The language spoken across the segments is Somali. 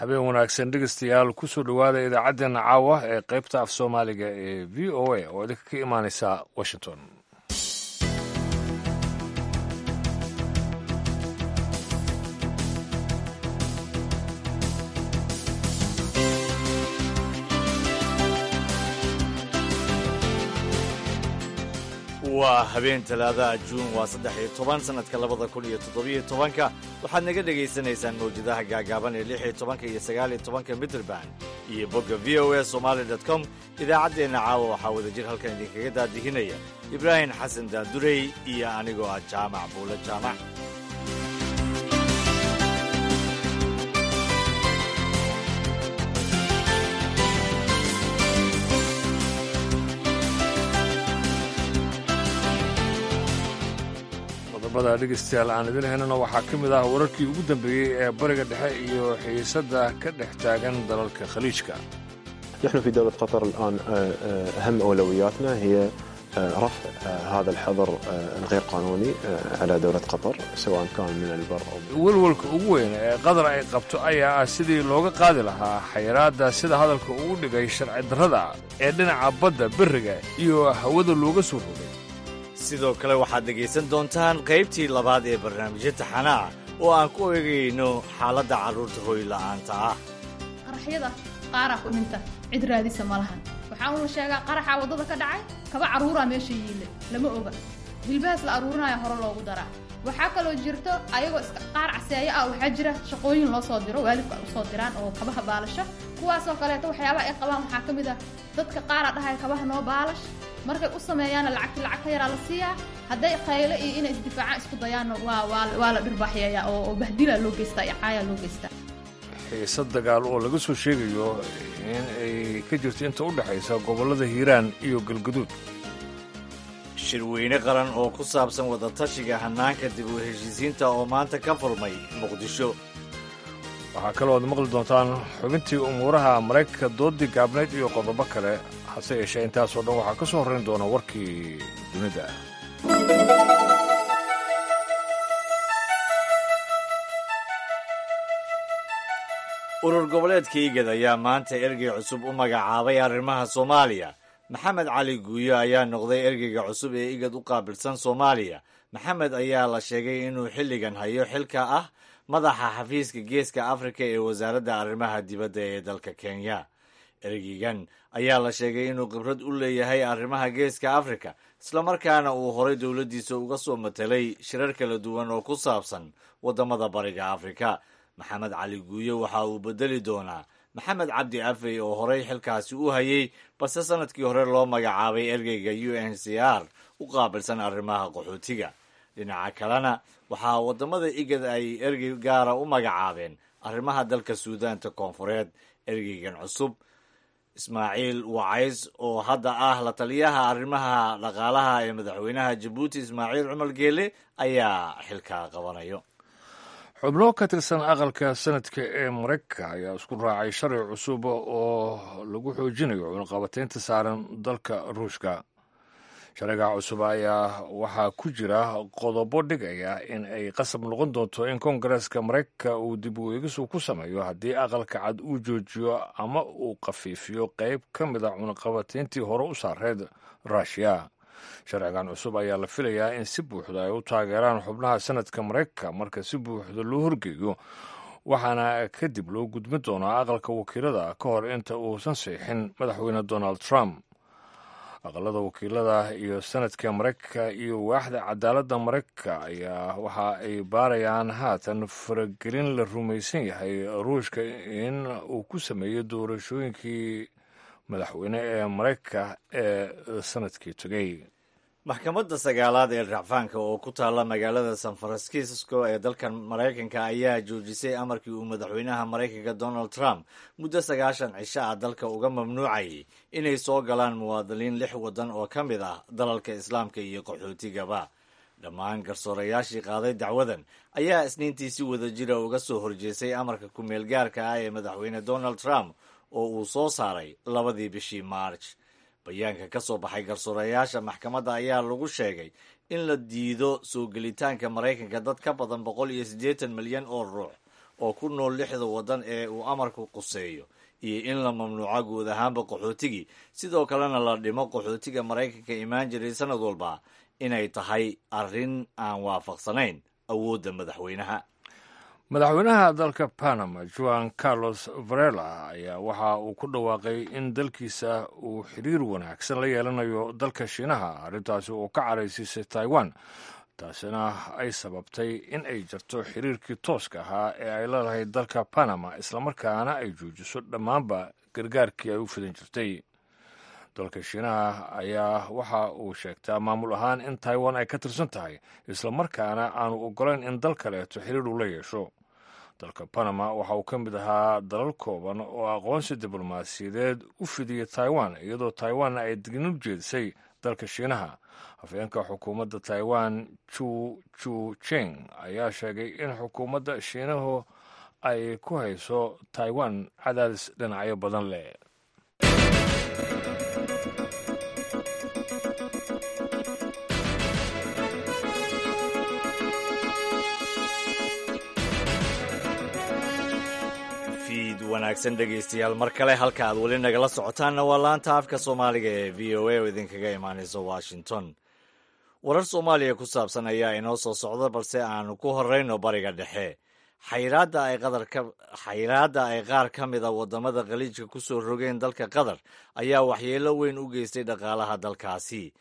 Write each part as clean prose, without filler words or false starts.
Habeen wanaagsan dhegeystayaal, kusoo dhowaada idaacaddeenna caawa ee qaybta af Soomaaliga ee VOA oo idinka ka imaaneysa Washington. Waa habeen Talaadaha, Juun waa 13, sanadka 2017-ka. Waxaad naga dhegaysanaysaan mawjadaha gaagaaban ee 16-ka iyo 19-ka mitrband iyo bogga VOA Somali com. Idaacaddeenna caawa waxaa wadajir halkan idinkaga daadihinaya Ibraahim Xasan Daandurey iyo anigoo ah Jaamac Buule Jaamac. Qodobada dhegeystayaal aan idin haynana waxaa ka mid ah wararkii ugu dambeeyey ee Bariga Dhexe iyo xiisadda ka dhex taagan dalalka Khaliijka. نحن في دولة قطر الآن أهم أولوياتنا هي رفع هذا الحظر الغير قانوني على دولة قطر، سواء كان من البر أو Welwelka ugu weyn ee Qatar ay qabto ayaa ah sidii looga qaadi lahaa xayiraadda, sida hadalka ugu dhigay sharci darrada ee dhinaca badda, beriga iyo hawada looga soo rogay. Sidoo kale waxaad dhegaysan doontaan qaybtii labaad ee barnaamijyo taxana ah oo aan ku eegayno xaaladda carruurta hooyla'aanta ah. Qaraxyada qaaraa ku dhinta, cid raadisa ma lahan. Waxaa uun la sheegaa qaraxaa waddada ka dhacay, kaba carruuraa meesha yiille, lama oga. Hilbahaas la aruurinaya hore loogu daraa. Waxaa kaloo jirto ayagoo iska qaar caseeyo ah. Waxaa jira shaqooyin loo soo diro, waalidku ay usoo diraan oo kabaha baalasho. Kuwaasoo kaleeto waxyaabaha ay qabaan waxaa ka mid ah dadka qaaraa dhahaya kabaha noo baalash. Markay u sameeyaanna lacagti lacag ka yaraa la siiyaa. Hadday qayle iyo inay isdifaacaan isku dayaanna waa la dhirbaaxyeeyaa oo bahdilaa loo geystaa iyo caayaa loo geystaa. Xiisad dagaal oo laga soo sheegayo in ay ka jirto inta u dhexaysa gobollada Hiiraan iyo Galguduud. Shirweyne qaran oo ku saabsan wadatashiga hannaanka dib u heshiisiinta oo maanta ka furmay Muqdisho. Waxaa kaloo aad maqli doontaan xubintii umuuraha Maraykanka, doodii gaabnayd iyo qodobo kale. Hase yeeshee intaasoo dhan waxaa ka soo horrayn doona warkii dunida. Urur goboleedka IGAD ayaa maanta ergey cusub u magacaabay arrimaha Soomaaliya. Maxamed Cali Guuyo ayaa noqday ergeyga cusub ee IGAD u qaabilsan Soomaaliya. Maxamed ayaa la sheegay inuu xilligan hayo xilka ah madaxa xafiiska Geeska Afrika ee wasaaradda arrimaha dibadda ee dalka Kenya. Ergeygan ayaa la sheegay inuu khibrad u leeyahay arrimaha Geeska Afrika, islamarkaana uu horay dowladdiisa uga soo matelay shirar kala duwan oo ku saabsan waddamada Bariga Afrika. Maxamed Cali Guuyo waxa uu bedeli doonaa Maxamed Cabdi Afey oo horay xilkaasi u hayay, balse sanadkii hore loo magacaabay ergeyga UNHCR u qaabilsan arrimaha qaxootiga. Dhinaca kalena waxaa waddamada IGAD ay ergey gaara u magacaabeen arrimaha dalka Suudaanta Koonfureed. Ergeygan cusub, Ismaaciil Wacays, oo hadda ah la taliyaha arrimaha dhaqaalaha ee madaxweynaha Jabuuti Ismaaciil Cumar Geele, ayaa xilkaa qabanayo. Xubno ka tirsan aqalka sanadka ee Maraykanka ayaa isku raacay sharci cusub oo lagu xoojinayo cunaqabataynta saaran dalka Ruushka. Sharciga cusub ayaa waxaa ku jira qodobo dhigaya in ay qasab noqon doonto in Koongareeska Maraykanka uu dib u eegisu ku sameeyo haddii Aqalka Cad uu joojiyo ama uu khafiifiyo qayb ka mid a cunaqabatayntii hore u saareed Ruushiya. Sharcigan cusub ayaa la filayaa in si buuxda ay u taageeraan xubnaha sanadka Maraykanka marka si buuxda loo horgeeyo, waxaana kadib loo gudbin doonaa Aqalka Wakiilada ka hor inta uusan saxiixin madaxweyne Donald Trump. Aqalada Wakiilada iyo sanadka Maraykanka iyo waaxda cadaaladda Maraykanka ayaa waxa ay baarayaan haatan faragelin la rumaysan yahay Ruushka in uu ku sameeyey doorashooyinkii madaxweyne ee Maraykanka ee sanadkii tegey. Maxkamadda sagaalaad ee racfaanka oo ku taalla magaalada San Francisco ee dalkan Maraykanka ayaa joojisay amarkii uu madaxweynaha Maraykanka Donald Trump muddo 90 cisho ah dalka uga mamnuucayay inay soo galaan muwaadiniin lix waddan oo ka mid ah dalalka Islaamka iyo qaxootigaba. Dhammaan garsoorayaashii qaaday dacwadan ayaa Isniintii si wadajira uga soo horjeestay amarka ku-meelgaarka ah ee madaxweyne Donald Trump oo uu soo saaray 2dii bishii March. Bayaanka ka soo baxay garsoorayaasha maxkamadda ayaa lagu sheegay in la diido soo gelitaanka Maraykanka dad ka badan 180 milyan oo ruux. oo ku nool 6da waddan ee uu amarku quseeyo iyo in la mamnuuco guud ahaanba qaxootigii, sidoo kalena la dhimo qaxootiga Maraykanka imaan jiray sanad walba, inay tahay arrin aan waafaqsanayn awoodda madaxweynaha. Madaxweynaha dalka Panama, Juan Carlos Varela, ayaa waxa uu ku dhawaaqay in dalkiisa uu xiriir wanaagsan la yeelanayo dalka Shiinaha, arrintaasi oo ka caraysiisay Taiwan, taasina ay sababtay in ay jarto xiriirkii tooska ahaa ee ay leedahay dalka Panama, islamarkaana ay joojiso dhammaanba gargaarkii ay u fidan jirtay. Dalka Shiinaha ayaa waxa uu sheegtaa maamul ahaan in Taiwan ay ka tirsan tahay, islamarkaana aanu ogolayn in dal kaleeto xiriir uu la yeesho. Dalka Panama waxa uu ka mid ahaa dalal kooban oo aqoonsi diblomaasiyadeed u fidiyey Taiwan, iyadoo Taiwanna ay dignin u jeedisay dalka Shiinaha. Afhayeenka xukuumadda Taiwan, Chu Chu Cheng, ayaa sheegay in xukuumadda Shiinuhu ay ku hayso Taiwan cadaadis dhinacyo badan leh. Fiid wanaagsan, dhegaystayaal, mar kale. Halka aad weli nagala socotaanna waa laanta afka Soomaaliga ee VOA oo idinkaga imaanaysa Washington. Warar Soomaaliya ku saabsan ayaa inoo soo socda, balse aanu ku horeyno Bariga Dhexe. Xayraadda ay qaar ka mida waddamada Khaliijka ku soo rogeen dalka Qatar ayaa waxyeelo weyn u geystay dhaqaalaha dalkaasi.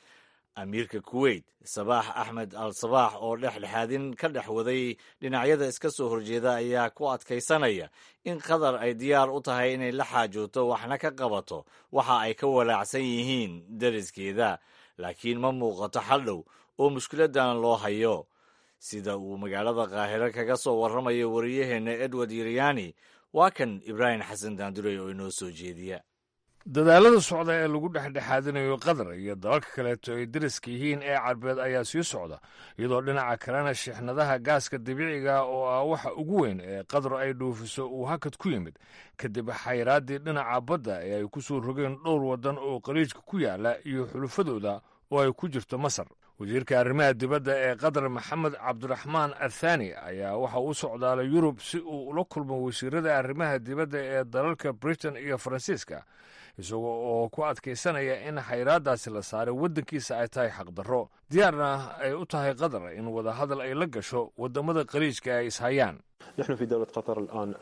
Amiirka Kuweyt, Sabaax Axmed Al Sabaax, oo dhexdhexaadin ka dhex waday dhinacyada iska soo horjeeda, ayaa ku adkaysanaya in Qatar ay diyaar u tahay inay la xaajooto waxna ka qabato waxa ay ka walaacsan yihiin deriskeeda, laakiin ma muuqato xal dhow oo mushkiladan loo hayo. Sida uu magaalada Qaahiro kaga soo warramayo wariyaheenna Edward Yiryani, waa kan Ibraahim Xasan Daandurey oo inoo soo jeediya. Dadaalada socda ee lagu dhexdhexaadinayo Qatar iyo dalalka kaleeto ay deriska yihiin ee Carbeed ayaa sii socda, iyadoo dhinaca kalena shixnadaha gaaska dabiiciga, oo ah waxa ugu weyn ee Qatar ay dhoofiso, uu hakad ku yimid kadib xayraaddii dhinaca badda ee ay ku soo rogeen dhowr waddan oo Qaliijka ku yaala iyo xulufadooda oo ay ku jirto Masar. Wasiirka arrimaha dibadda ee Qatar, Maxamed Cabdiraxmaan Athani, ayaa waxa uu socdaalay Yurub si uu ula kulmo wasiirada arrimaha dibadda ee dalalka Britain iyo Faransiiska, isagoo oo ku adkaysanaya in xayraaddaasi la saaray waddankiisa ay tahay xaqdarro, diyaarna ay u tahay Qatar in wadahadal ay la gasho waddamada Qaliijka ay ishayaan. نحن في دولة قطر الآن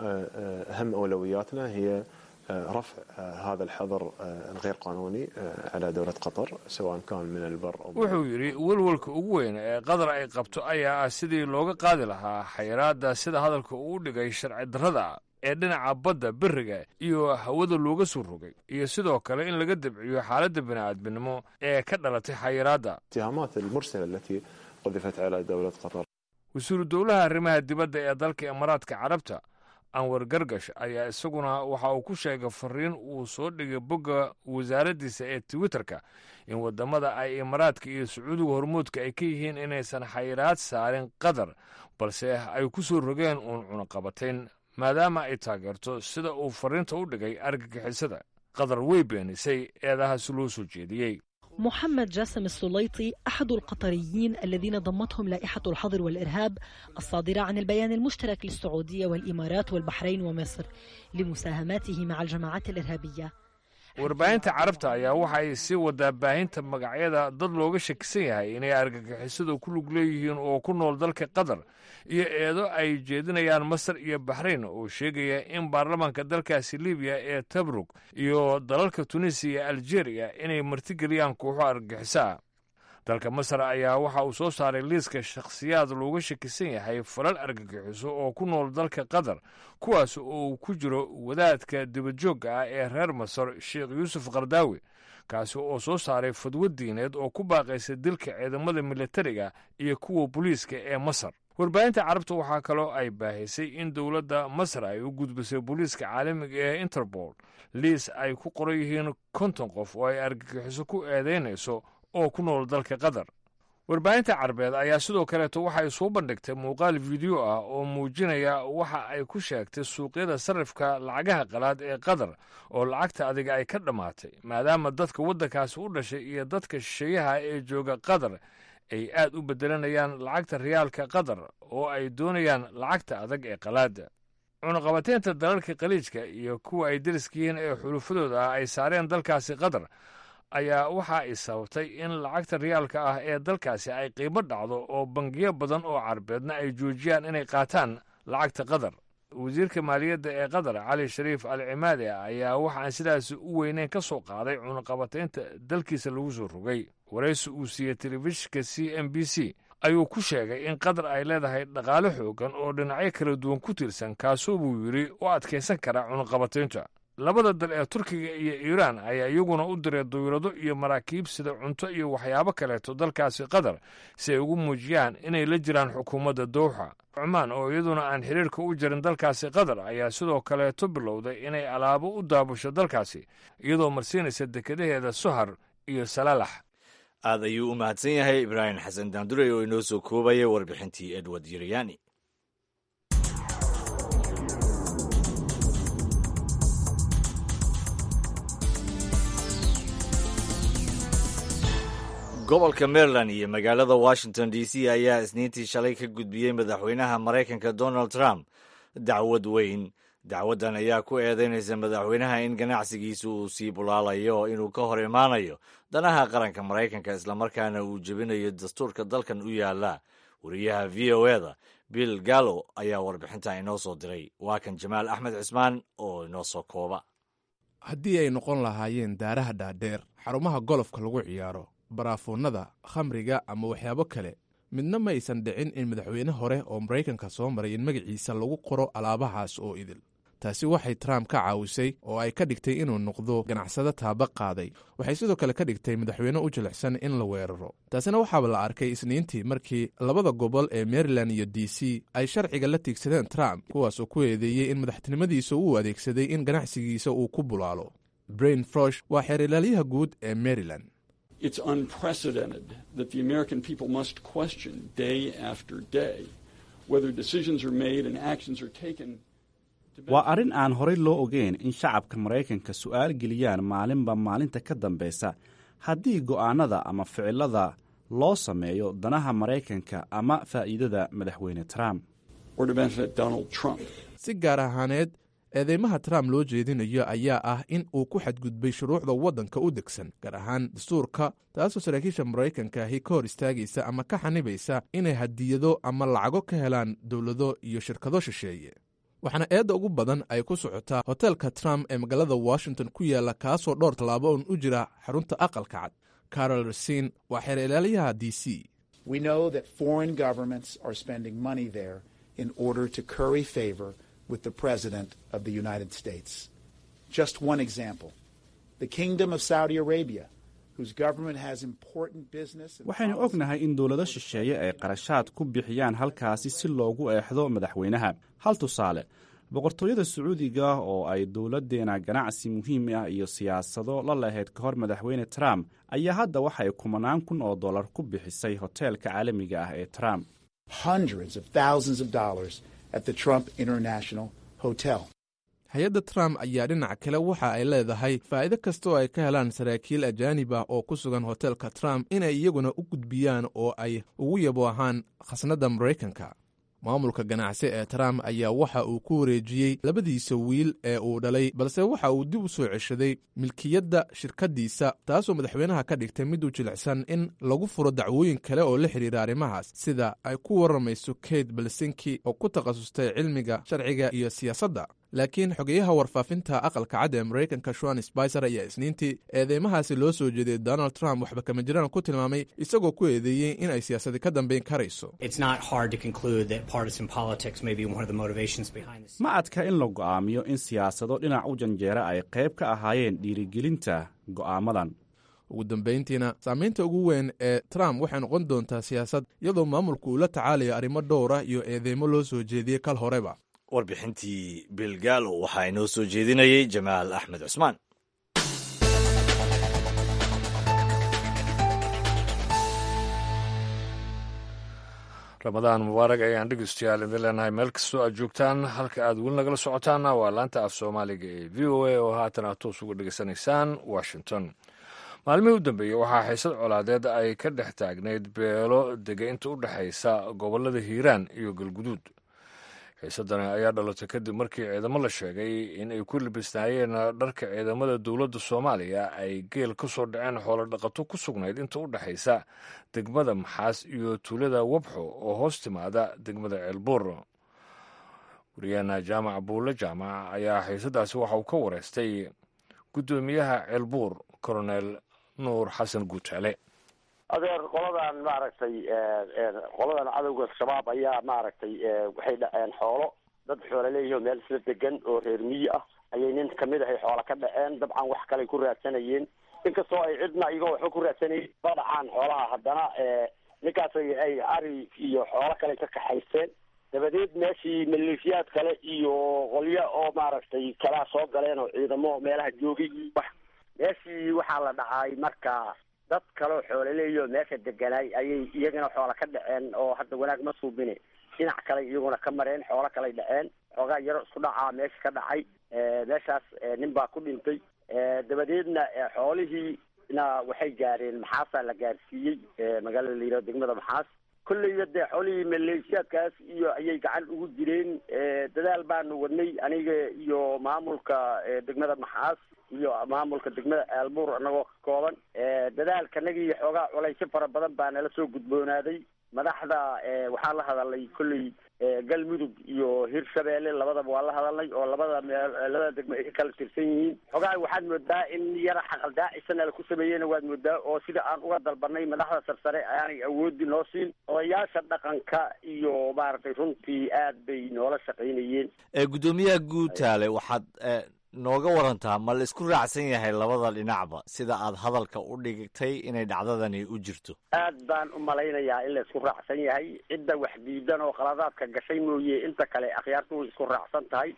أهم أولوياتنا هي رفع هذا الحظر الغير قانوني على دولة قطر، سواء كان من البر أو Wuxuu yidhi: "Welwelka ugu weyn ee Qatar ay qabto ayaa ah sidii looga qaadi lahaa xayraadda, sida hadalka uu dhigay, sharci darrada ee dhinaca badda, beriga iyo hawada looga soo rogay, iyo sidoo kale in laga dabciyo xaaladda bini'aadminimo ee ka dhalatay xayiraadda." الاتهامات المرسلة التي قذفت على دولة قطر. Wasiiru dowlaha arrimaha dibadda ee dalka Imaaraadka Carabta, Anwar Gargash, ayaa isaguna waxa uu ku sheegay fariin uu soo dhigay bogga wasaaraddiisa ee Twitterka in waddamada ay Imaaraadka iyo Sacuudiga hormuudka ay ka yihiin inaysan xayiraad saarin Qatar, balse ay ku soo rogeen uun cunaqabatayn, maadaama ay taageerto, sida uu fariinta u dhigay, argagixisada. Qatar way beenisay eedahaasi loo soo jeediyey. محمد جاسم السليطي أحد القطريين الذين ضمتهم لائحة الحظر والإرهاب الصادرة عن البيان المشترك للسعودية والإمارات والبحرين ومصر لمساهماته مع الجماعات الإرهابية. Warbaahinta Carabta ayaa waxa ay sii wadaa baahinta magacyada dad looga shakisan yahay inay argagixisadu ku lug leeyihiin oo ku nool dalka Qatar, iyo eedo ay jeedinayaan Masar iyo Baxrayn oo sheegaya in baarlamaanka dalkaasi Libiya ee Tabrug iyo dalalka Tunisiya iyo Aljeeriya inay martigeliyaan kooxo argagixiso ah. Dalka Masar ayaa waxa uu soo saaray liiska shakhsiyaad looga shakisan yahay falal argagixiso oo ku nool dalka Qatar, kuwaas oo uu ku jiro wadaadka dibadjoogga ah ee reer Masar, Sheekh Yuusuf Kardaawi, kaasi oo soo saaray fadwo diineed oo ku baaqaysa dilka ciidamada militariga iyo kuwa booliiska ee Masar. Warbaahinta Carabta waxaa kaloo ay baahisay in dowladda Masar ay u gudbisay booliiska caalamiga ee Interpol liis ay ku qoran yihiin 50 qof oo ay argagixiso ku eedaynayso oo ku nool dalka Qatar. Warbaahinta Carbeed ayaa sidoo kaleeto waxay soo bandhigtay muuqaal video ah oo muujinaya waxa ay ku sheegtay suuqyada sarrifka lacagaha qalaad ee Qatar oo lacagta adiga ay ka dhammaatay, maadaama dadka waddankaasi u dhashay iyo dadka shisheeyaha ee jooga Qatar ay aad u beddelanayaan lacagta riyaalka Qatar oo ay doonayaan lacagta adag ee qalaada. Cunaqabateynta dalalka Khaliijka iyo kuwa ay deriska yihiin ee xulufadooda ah ay saareen dalkaasi Qatar ayaa waxa ay sababtay in lacagta riyaalka ah ee dalkaasi ay qiimo dhacdo oo bangiyo badan oo Carbeedna ay joojiyaan inay qaataan lacagta Qatar. Wasiirka maaliyadda ee Qatar, Cali Shariif Al Cimaade, ayaa waxaan sidaasi u weyneyn ka soo qaaday cunaqabateynta dalkiisa lagu soo rogay. Waraysi uu siiyey telefishinka CNBC ayuu ku sheegay in Qatar ay leedahay dhaqaale xoogan oo dhinacyo kala duwan ku tiirsan, kaasoo buu yidhi u adkaysan kara cunaqabateynta. Labada dal ee Turkiga iyo Iiraan ayaa iyaguna u diray dawlado iyo maraakiib sida cunto iyo waxyaabo kaleeto dalkaasi Qatar si ay ugu muujiyaan inay la jiraan xukuumadda Dowxa. Cumaan oo iyaduna aan xiriirka u jirin dalkaasi Qatar ayaa sidoo kaleeto bilowday inay alaabo u daabusho dalkaasi, iyadoo marsiinaysa dekedaheeda Sohar iyo Salaalax. Aad ayuu u mahadsan yahay Ibraahim Xasan Daandurey oo inoo soo koobaya warbixintii Edward Yiryani. Gobolka Maryland iyo magaalada Washington D C ayaa Isniintii shalay ka gudbiyey madaxweynaha Maraykanka Donald Trump dacwad weyn. Dacwaddan ayaa ku eedeynaysa madaxweynaha in ganacsigiisu uu sii bulaalayo, inuu ka hor imaanayo danaha qaranka Maraykanka, islamarkaana uu jebinayo dastuurka dalkan u yaala. Wariyaha VOA-da Bill Gallo ayaa warbixinta inoo soo diray. Waa kan Jamaal Axmed Cismaan oo inoo soo kooba. Haddii ay noqon lahaayeen daaraha dhaadheer, xarumaha golofka lagu ciyaaro, baraafuunnada khamriga ama waxyaabo kale, midna ma aysan dhicin in madaxweyne hore oo Maraykanka soo maray in magaciisa lagu qoro alaabahaas oo idil. Taasi waxay Trump ka caawisay oo ay ka dhigtay inuu noqdo ganacsado taaba qaaday. Waxay sidoo kale ka dhigtay madaxweyne u jilicsan in la weeraro. Taasina waxaaba la arkay Isniintii markii labada gobol ee Maryland iyo D C ay sharciga la tiigsadeen Trump, kuwaasoo ku eedeeyey in madaxtinimadiisa uu adeegsaday in ganacsigiisa uu ku bulaalo. Brain Frosh waa xeerilaalyaha guud ee Maryland. It's unprecedented that the American people must question day after day whether decisions are made and actions are taken. Waa arrin aan horay loo ogeyn in shacabka Maraykanka su'aal geliyaan maalinba maalinta ka dambaysa haddii go'aannada ama ficilada loo sameeyo danaha Maraykanka ama faa'iidada Madaxweyne Trump. Or to benefit Donald Trump. Si gaar ahaaneed, eedeymaha Trump loo jeedinayo ayaa ah in uu ku xadgudbay shuruucda waddanka u degsan, gaar ahaan dastuurka, taasoo saraakiisha Maraykanka ahi ka hor istaagaysa ama ka xanibaysa inay hadiyado ama lacago ka helaan dowlado iyo shirkado shisheeye. Waxaana eedda ugu badan ay ku socotaa hoteelka Trump ee magaalada Washington ku yaalla, kaasoo dhowr tallaabo un u jira xarunta Aqalka Cad. Carol Resin waa xeer ilaaliyaha D C. We know that foreign governments are spending money there in order to curry favor with the President of the United States. Just one example: the Kingdom of Saudi Arabia, whose government has important business and Waxaynu ognahay in dowlado shisheeye ay qarashaad ku bixiyaan halkaasi si loogu eexdo madaxweynaha. Hal tusaale, Boqortooyada Sacuudiga oo ay dowladdeena ganacsi muhiim ah iyo siyaasado la lahayd ka hor madaxweyne Trump ayaa hadda waxay kumanaan kun oo dollar ku bixisay hoteelka caalamiga ah ee Trump. hundreds of thousands of dollars at the Trump International Hotel. Hay-adda Trump ayaa dhinaca kale waxa ay leedahay faa'iido kasta oo ay ka helaan saraakiil ajaanib ah oo ku sugan hoteelka Trump inay iyaguna u gudbiyaan oo ay ugu yabo ahaan khasnadda Maraykanka. Maamulka ganacsi ee Trump ayaa waxa uu ku wareejiyey labadiisa wiil ee uu dhalay, balse waxa uu dib u soo ceshaday milkiyadda shirkaddiisa, taasoo madaxweynaha ka dhigtay mid u jilicsan in lagu furo dacwooyin kale oo la xidhiira arrimahaas, sida ay ku warramayso Kate Belsinki oo ku takhasustay cilmiga sharciga iyo siyaasadda. Laakiin xogeyaha warfaafinta Aqalka Cad ee Maraykanka, Shuan Spicer, ayaa Isniintii eedeymahaasi loo soo jeeday Donald Trump waxba kama jiraan ku tilmaamay, isagoo ku eedeeyey in ay siyaasadi ka dambayn karayso. Ma adka in la go'aamiyo in siyaasado dhinac u janjeera ay qayb ka ahaayeen dhiirigelinta go'aamadan. Ugu dambayntiina, saamaynta ugu weyn ee Trump waxay noqon doontaa siyaasad, iyadoo maamulku uu la tacaalayo arrimo dhowr ah iyo eedeymo loo soo jeediyey kal horeba. Warbixintii Bilgaalo waxaa inoo soo jeedinayey Jamaal Axmed Cusmaan. Ramadaan mubaarak ayaan dhegeystayaal idin leenahay meel kastoo aad joogtaan. Halka aad weli nagala socotaanna waa laanta af Soomaaliga ee VOA oo haatan aad toos uga dhegeysanaysaan Washington. Maalmihii u dambeeyey waxaa xiisad colaadeed ay ka dhex taagnayd beelo dega inta u dhexaysa gobollada Hiiraan iyo Galguduud. Xiisadani ayaa dhalatay kadib markii ciidamo la sheegay in ay ku libisnaayeen dharka ciidamada dowladda Soomaaliya ay geel ka soo dhaceen xoolo dhaqato ku sugnayd inta u dhexaysa degmada Maxaas iyo tuulada Wabxo oo hoos timaada degmada Ceelbuur. Wariyaheena Jaamac Buulle Jaamac ayaa xiisadaasi waxa uu ka wareystay guddoomiyaha Ceelbuur, Coronel Nuur Xasan Guutaale. Adeer, qoladan maaragtay, qoladan cadowga Shabaab ayaa maaragtay waxay dhaceen xoolo dad xoolo leeyihi oo meel isla degan oo reer miyi ah ayay nin kamid ahay xoola ka dhaceen. Dabcan wax kaley ku raadsanayeen, inkastoo ay cidna iyagoo waxba ku raadsanayen ba dhacaan xoolaha, haddana ninkaas ay ari iyo xoolo kale ka kaxaysteen. Dabadeed meeshii maleeshiyaad kale iyo qolyo oo maaragtay kalaa soo galeen oo ciidamo meelaha joogay. Wax meeshii waxaa la dhacay marka dad kaloo xoolaleeyo meesha deganaay ayay iyagana xoola ka dhaceen, oo hadda wanaag ma suubine dhinac kale iyaguna ka mareen, xoolo kaley dhaceen. Xoogaa yaro isku dhacaa meesha ka dhacay. Meeshaas nin baa ku dhintay. Dabadeedna xoolihiina waxay gaareen Maxaasaa la gaarsiiyey, magaalada la yihahdo degmada Maxaas. Kolleyba dee xoolihii maleeshiyaadkaas iyo ayay gacan ugu jireen. Dadaal baanu wadnay, aniga iyo maamulka degmada Maxaas iyo maamulka degmada Ceelbuur anagoo ka kooban. Dadaalkanagii xoogaa culaysyo fara badan baa nala soo gudboonaaday. Madaxda waxaa la hadalay kolley Galmudug iyo Hirshabeelle, labadaba waa la hadalnay, oo labada meel labada degmo ay ka kala tirsan yihiin. Xoogaa waxaad moodaa in yara xaqaldaacisana la ku sameeyeyna waad moodaa, oo sida aan uga dalbanay madaxda sarsare aanay awoodi noo siin. Odayaasha dhaqanka iyo maaragtay runtii aad bay noola shaqaynayeen. Guddoomiyaha Guutaale, waxaad nooga warantaa, ma la isku raacsan yahay labada dhinacba sida aad hadalka u dhigtay inay dhacdadani u jirto? Aad baan u malaynayaa in la isku raacsan yahay. Cidda wax diidan oo qaladaadka gashay mooye, inta kale akhyaartu way isku raacsan tahay.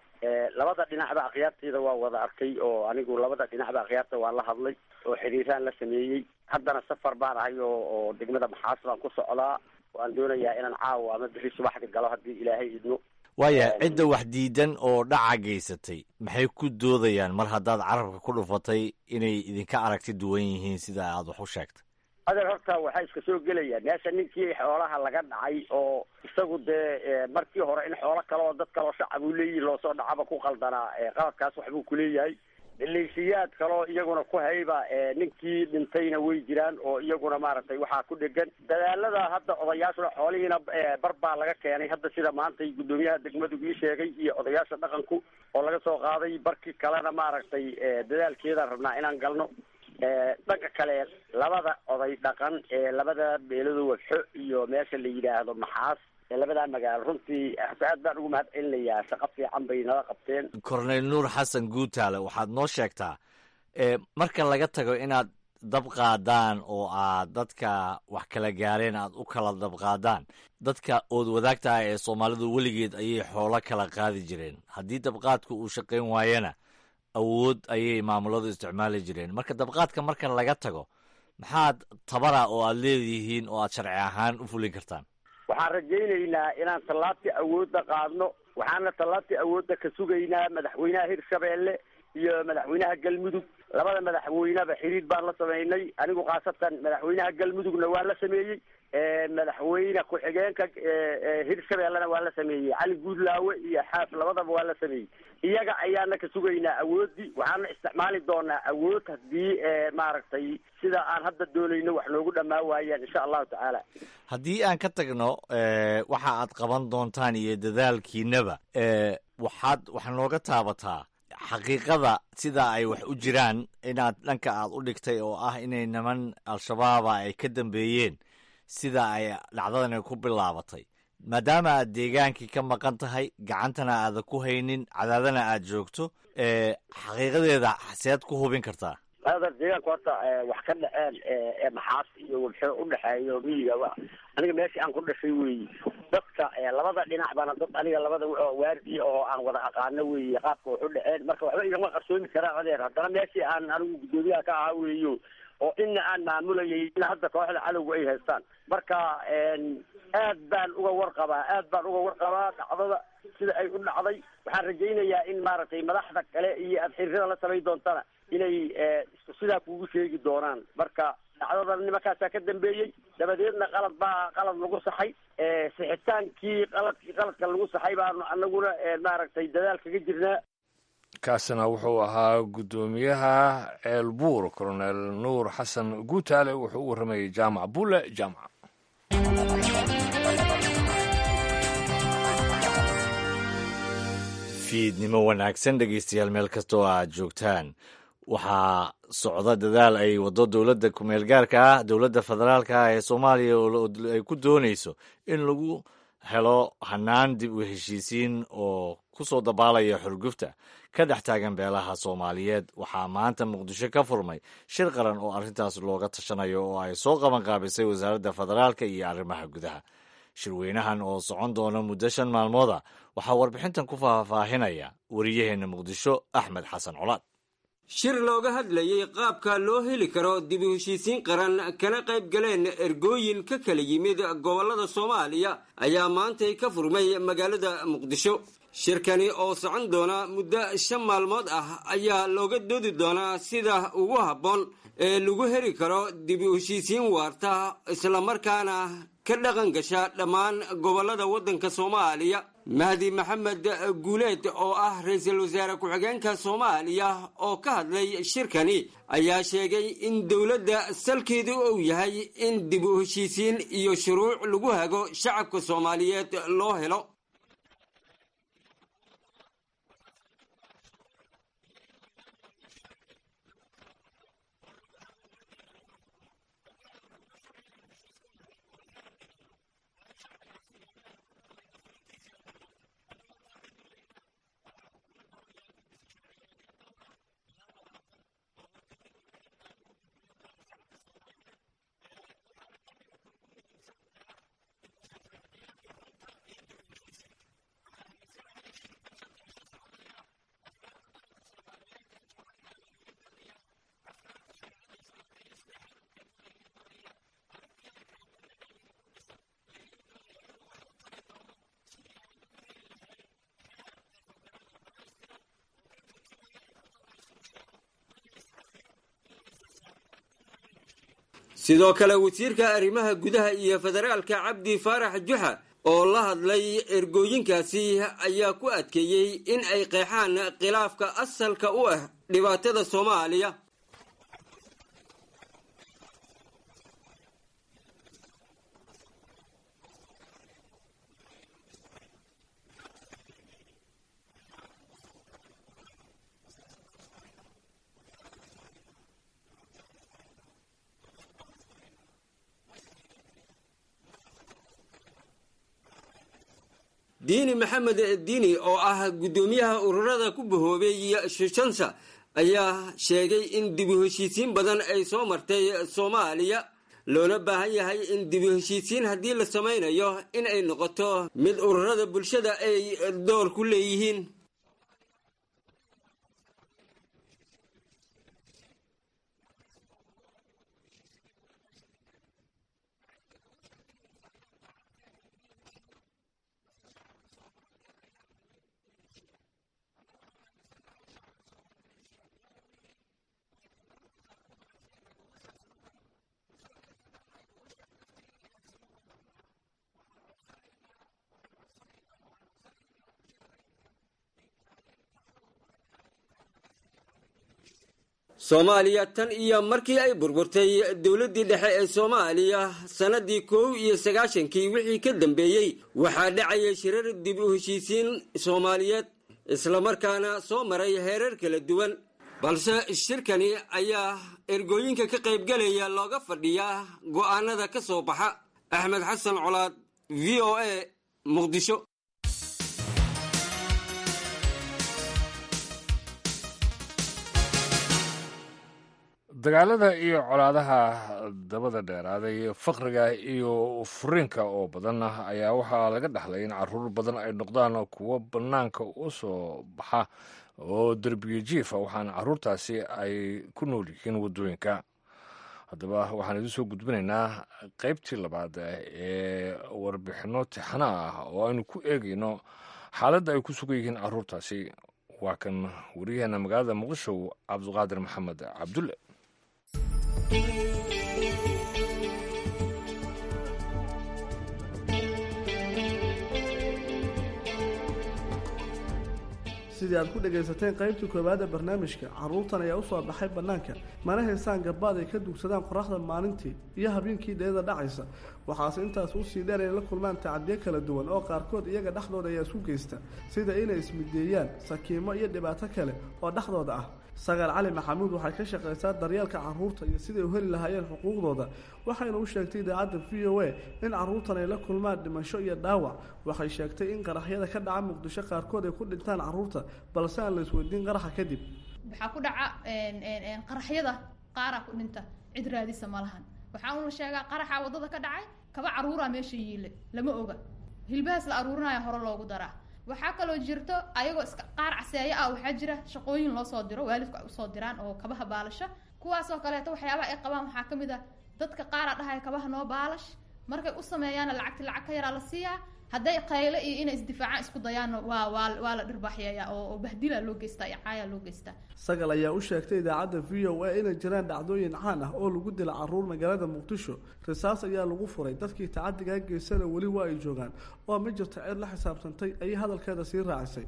Labada dhinacba akhyaarteyda waa wada arkay, oo anigu labada dhinacba akhyaarta waan la hadlay oo xiriiraan la sameeyey. Haddana safar baan ahay oo degmada Maxaas baan ku socdaa. Waan doonayaa inaan caawa ama bixi subaxdi galo haddii Ilaahay idmo. Waayahay, cidda wax diidan oo dhaca geysatay maxay ku doodayaan, mar haddaad carabka ku dhufatay inay idinka aragti duwan yihiin sida aad wax u sheegtay? Adeer, horta waxaa iska soo gelayaan meesha ninkii xoolaha laga dhacay oo isagu dee markii hore in xoolo kale oo dad kaloo shacab uu leeyihi loosoo dhacaba ku qaldanaa, qaladkaas waxbuu kuleeyahay. Maleeshiyaad kaloo iyaguna ku hayba ninkii dhintayna way jiraan, oo iyaguna maaragtay waxaa ku dhegan dadaalada hadda odayaashuna. Xoolihiina bar baa laga keenay hadda, sida maantay guddoomiyaha degmadu ii sheegay iyo odayaasha dhaqanku, oo laga soo qaaday. Barkii kalena maaragtay dadaalkeedaan rabnaa inaan galno. Dhanka kale, labada oday dhaqan ee labada beelado, Wabxo iyo meesha la yidhaahdo Maxaas, labadaa magaalo, runtii aad baan ugu mahad celinayaa, shaqo fiican bay nala qabteen. Cornel Nuur Xasan Guutaale, waxaad noo sheegtaa, marka laga tago inaad dab qaadaan oo aad dadka wax kala gaareen aad u kala dab qaadaan, dadka ood wadaagtaha ee Soomaalidu weligeed ayay xoolo kala qaadi jireen. Haddii dabqaadku uu shaqayn waayana, awood ayay maamuladu isticmaali jireen. Marka dabqaadka marka laga tago, maxaad tabara oo aad leedihiin oo aad sharci ahaan u fulin kartaan? Waxaan rajaynaynaa inaan tallaabtii awoodda qaadno, waxaana tallaabtii awoodda ka sugaynaa madaxweynaha Hirshabeelle iyo madaxweynaha Galmudug. Labada madaxweyneba xiriir baan la sameynay. Anigu khaasatan madaxweynaha Galmudugna waa la sameeyey, madaxweyne ku-xigeenka Hirshabeellena waa la sameeyey, Cali Guudlaawe iyo Xaaf labadaba waa la sameeyey. Iyaga ayaana ka sugaynaa awooddii, waxaana isticmaali doonaa awood haddii maaragtay sida aan hadda doonayno wax noogu dhammaa waayaan, insha Allahu tacaala. Haddii aan ka tagno waxa aad qaban doontaan iyo dadaalkiinaba, waxaad wax nooga taabataa xaqiiqada sida ay wax u jiraan inaad dhanka aad u dhigtay, oo ah inay niman Al-Shabaaba ay ka dambeeyeen sida ay dhacdadani ku bilaabatay. Maadaama aad deegaankii ka maqan tahay, gacantana aada ku haynin, Cadaadana aad joogto, xaqiiqadeeda seed ku hubin kartaa? Adeer, deegaanku horta wax ka dhaceen ee Maxaas iyo Wabxo udhexeeyo miyiga, aniga meeshii aan ku dhashay weeye. Dadka labada dhinac bana dad aniga labada waardi oo aan wada aqaano weeye qaabka wax u dhaceen. Marka waxba igama qarsoomi karaan, adeer. Haddana meeshii aan anigu guddoomiyaha ka ahaa weeyo, oo ina aan maamulayay ina hadda kooxda cadowga ay haystaan. Marka aad baan uga warqabaa, aad baan uga warqabaa dhacdada sida ay u dhacday. Waxaan rajaynayaa in maaragtay madaxda kale iyo aad xiriirada la samayn doontana inay isku sidaa kugu sheegi doonaan. Marka dhacdada nimankaasaa ka dambeeyey, dabadeedna qalad baa qalad lagu saxay. Sixitaankii qaladka lagu saxay baanu anaguna maaragtay dadaal kaga jirnaa. Kaasina wuxuu ahaa guddoomiyaha Ceelbuur, Colonel Nuur Xasan Guutaale, wuxuu u warramayay Jaamac Bulle Jaamac. Fiidnimo wanaagsan dhegeystayaal, meel kastoo aad joogtaan. Waxaa socda dadaal ay waddo dowladda kumeel gaarka ah, dowladda federaalka ah ee Soomaaliya, oo ay ku doonayso in lagu helo hanaan dib u heshiisiin oo ku soo dabaalaya xurgufta ka dhex taagan beelaha Soomaaliyeed. Waxaa maanta Muqdisho ka furmay shir qaran oo arrintaas looga tashanayo oo ay soo qaban qaabisay wasaaradda federaalka iyo arrimaha gudaha. Shirweynahan oo socon doona muddo 5 maalmood ah waxaa warbixintan ku faahfaahinaya wariyaheenna Muqdisho, Axmed Xasan Colaad. Shir looga hadlayey qaabka loo heli karo dib u heshiisiin qaran, kana qayb galeen ergooyin ka kala yimid gobollada Soomaaliya, ayaa maantay ka furmay magaalada Muqdisho. Shirkani oo socon doona muddo 5 maalmood ah ayaa looga doodi doonaa sida ugu habboon ee lagu heli karo dib u heshiisiin waarta, islamarkaana ka dhaqan gasha dhammaan gobollada waddanka Soomaaliya. Mahdi Maxamed Guuleed oo ah ra-iisul wasaare ku-xigeenka Soomaaliya oo ka hadlay shirkani ayaa sheegay in dowladda salkeedu uu yahay in dib u heshiisiin iyo shuruuc lagu hago shacabka Soomaaliyeed loo helo. Sidoo kale, wasiirka arrimaha gudaha iyo federaalka, Cabdi Faarax Juxa, oo la hadlay ergooyinkaasi ayaa ku adkeeyey in ay qeexaan khilaafka asalka u ah dhibaatada Soomaaliya. Diini Maxamed Diini oo ah guddoomiyaha ururada ku bahoobay Shushansa ayaa sheegay in dib u heshiisiin badan ay soo martay Soomaaliya, loona baahan yahay in dib u heshiisiin haddii la samaynayo in ay noqoto mid ururada bulshada ay door ku leeyihiin. Soomaaliya tan iyo markii ay burburtay dowladdii dhexe ee Soomaaliya sannaddii 91-kii wixii ka dambeeyey, waxaa dhacayay shirar dib u heshiisiin Soomaaliyeed, islamarkaana soo maray heerar kala duwan, balse shirkani ayaa ergooyinka ka qaybgalaya looga fadhiyaa go'aanada ka soo baxa. Axmed Xasan Colaad, VOA, Muqdisho. Dagaalada iyo colaadaha dabada dheeraaday, faqriga iyo furiinka oo badan ayaa waxaa laga dhaxlay in caruur badan ay noqdaan kuwo bannaanka u soo baxa oo derbiga jiifa, waxaana caruurtaasi ay ku nool yihiin waddooyinka. Haddaba waxaan idiin soo gudbinaynaa qaybtii labaad ee warbixinno tixana ah oo aynu ku eegayno xaaladda ay ku sugan yihiin caruurtaasi. Waa kan wariyaheena magaalada Muqdisho, Cabduqaadir Maxamed Cabdulle. Sidii aad ku dhagaysateen qaybtii koowaad ee barnaamijka, carruurtan ayaa usoo baxay bannaanka, mana haystaan gabaad ay ka dugsadaan qoraxda maalintii iyo habeenkii dheeda dhacaysa. Waxaase intaas usii dheer inay la kulmaan tacadiyo kala duwan oo qaarkood iyaga dhexdooda ayaa isku geysta, sida inay ismideeyaan, sakiimo iyo dhibaato kale oo dhexdooda ah. Sagaal Cali Maxamuud waxay ka shaqaysaa daryeelka carruurta iyo siday u heli lahaayeen xuquuqdooda, waxayna u sheegtay idaacadda VOA in carruurtan ay la kulmaan dhimasho iyo dhaawac. Waxay sheegtay in qaraxyada ka dhaca Muqdisho qaarkood ay ku dhintaan carruurta, balse aan la isweydiin qaraxa kadib. Waxaa ku dhaca qaraxyada qaaraa ku dhinta, cid raadisa ma lahan. Waxaa un la sheegaa qaraxa waddada ka dhacay, kaba caruuraa meesha yiile, lama oga, hilbahaas la aruurinaya hore loogu daraa. Waxaa kaloo jirto ayagoo iska qaar caseeyo ah, waxaa jira shaqooyin loo soo diro, waalidku ay usoo diraan oo kabaha baalasha. Kuwaasoo kaleeto waxyaabaha ay qabaan waxaa ka mid ah dadka qaaraa dhahaya kabaha noo baalash, markay u sameeyaana lacagti lacag ka yaraa la siiyaa. Hadday qayle iyo inay isdifaacaan isku dayaanna waa la dhirbaaxyeeyaa oo bahdila loo geystaa iyo caayaa loo geystaa. Sagal ayaa u sheegtay idaacadda VOA inay jiraan dhacdooyin caan ah oo lagu dila carruur magaalada Muqdisho. Risaas ayaa lagu furay dadkii tacadigaa geysana, weli waa ay joogaan oo ma jirto cid la xisaabtantay, ayay hadalkeeda sii raacisay.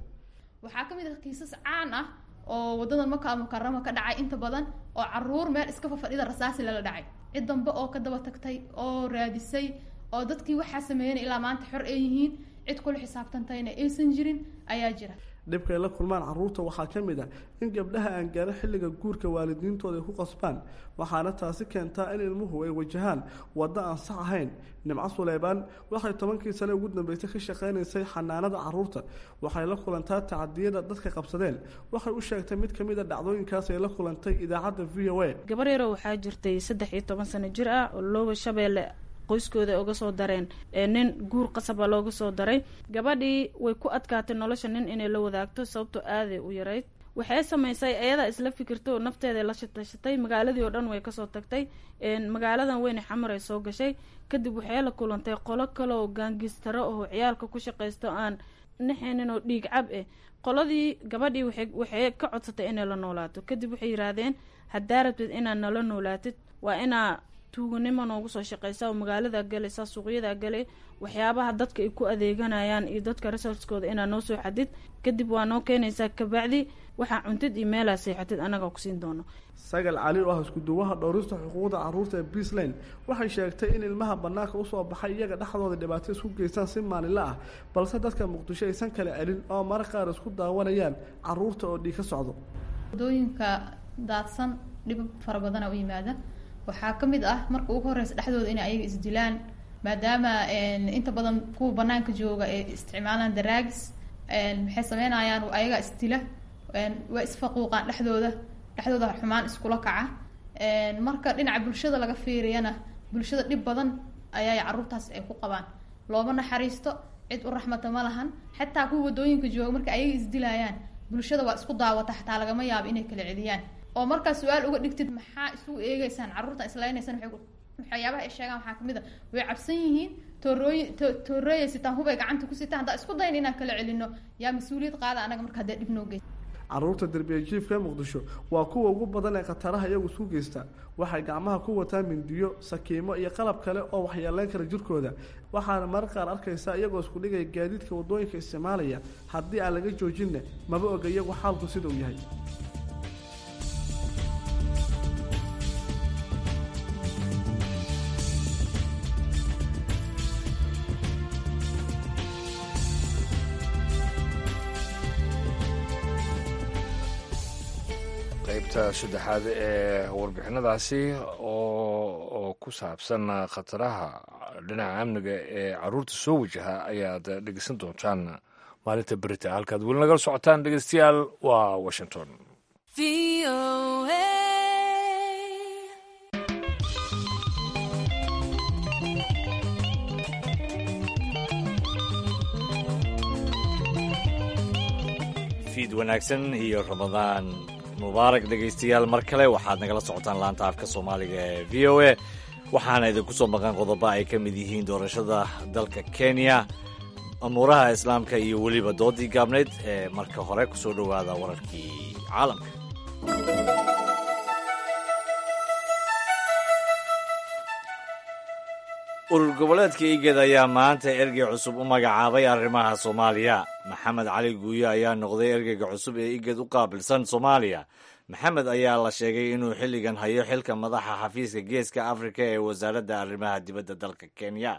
Waxaa ka mid ah kiisas caan ah oo waddada Maka Mukarama ka dhacay inta badan, oo carruur meel iska fafadhida rasaasi lala dhacay, cid dambe oo ka daba tagtay oo raadisay oo dadkii waxaa sameeyeen ilaa maanta xor ay yihiin, cid kula xisaabtantayna aysan jirin ayaa jira. Dhibkay la kulmaan carruurta waxaa ka mid ah in gabdhaha aan gaarin xilliga guurka waalidiintooda ay ku qasbaan, waxaana taasi keentaa in ilmuhu ay wajahaan waddo aan sax ahayn. Nimco Suleybaan waxay 10kii sane ugu dambeysay ka shaqaynaysay xanaanada carruurta. Waxay la kulantaa tacadiyada dadka qabsadeen. Waxay u sheegtay mid ka mid a dhacdooyinkaas ay la kulantay idaacadda VOA. Gabar yaroo waxaa jirtay 13 sano jir ah oo Looba Shabeelle qoyskooda uga soo dareen, nin guur qasaba looga soo daray. Gabadhii way ku adkaatay nolosha nin inay la wadaagto, sababtoo aaday u yarayd. Waxay samaysay ayadaa isla fikirtay oo nafteeda la shatashatay, magaaladii oo dhan way kasoo tagtay, magaaladan weyne Xamar ay soo gashay. Kadib waxay la kulantay qolo kale oo gaangistaro oo ciyaalka ku shaqaysto aan naxaynin oo dhiig cab eh. Qoladii gabadhii waxay ka codsatay inay la noolaato. Kadib waxay yiraahdeen, haddaa rabtid inaad nala noolaatid waa inaa tuuganimo noogu soo shaqeysa oo magaalada galaysa, suuqyada galay, waxyaabaha dadka ay ku adeeganayaan iyo dadka resourcekooda inaa noo soo xadid, kadib waa noo keenaysaa, kabacdi waxaa cuntid iyo meelaa seexatid annagaa kusiin doono. Sagal Cali oo ah iskuduwaha dhowrista xuquuqda carruurta ee Beasline waxay sheegtay in ilmaha bannaanka usoo baxay iyaga dhexdooda dhibaato isku geystaan si maalinle ah, balse dadka Muqdisho aysan kala celin oo marar qaar isku daawanayaan carruurta oo dhiig ka socdo. Wadooyinka daadsan dhib fara badana u yimaada. Waxaa ka mid ah marka ugu horeysa dhexdooda inay ayaga isdilaan, maadaama inta badan kuwa banaanka jooga ay isticmaalaan daraagis. Maxay sameynayaan? Ayagaa isdila, waa isfaquuqaan dhexdooda, dhexdooda xumaan iskula kaca. Marka dhinaca bulshada laga fiiriyana, bulshada dhib badan ayay carruurtaas ay ku qabaan. Looma naxariisto, cid u raxmata ma lahan. Xataa kuwa wadooyinka jooga marka ayaga isdilayaan, bulshada waa isku daawata, xataa lagama yaabo inay kala celiyaan. Oo markaa su-aal uga dhigtid maxaa isugu eegeysaan carruurtan isleynaysaan, waxyaabaha ay sheegaan waxaa kamid a way cabsan yihiin, toorooyin toorooyay sitaan, hubay gacanta ku sitaan, haddaa isku dayn inaan kala celino yaa mas-uuliyad qaada anaga marka haddee dhib noo geysta. Carruurta derbiya jiifka Muqdisho waa kuwa ugu badan ee khataraha iyagu isku geysta. Waxay gacmaha ku wataan mindiyo, sakiimo iyo qalab kale oo waxyeeleyn kara jirkooda, waxaana marar qaar arkaysaa iyagoo isku dhigaya gaadiidka waddooyinka isticmaalaya. Haddii aan laga joojinna maba oga iyagu xaalku sida uu yahay. Qaybta saddexaad ee warbixinadaasi oo ku saabsan khataraha dhinaca amniga ee carruurta soo wajaha ayaad dhegeysan doontaan maalinta berita. Halkaad weli nagala socotaan dhegeystayaal waa Washington. Fiid wanaagsan iyo Ramadaan mubaarak dhegaystayaal. Mar kale waxaad nagala socotaan laanta afka Soomaaliga ee VOA. Waxaana idinku soo maqan qodobo ay ka mid yihiin doorashada dalka Kenya, amuuraha Islaamka iyo weliba doodii gaabnayd. Ee marka hore kusoo dhowaada wararkii caalamka. Urur goboleedka IGAD ayaa maanta ergey cusub u magacaabay arrimaha Soomaaliya. Maxamed Cali Guuyo ayaa noqday ergeyga cusub ee IGAD u qaabilsan Soomaaliya. Maxamed ayaa la sheegay inuu xilligan hayo xilka madaxa xafiiska Geeska Afrika ee Wasaaradda Arrimaha Dibadda dalka Kenya.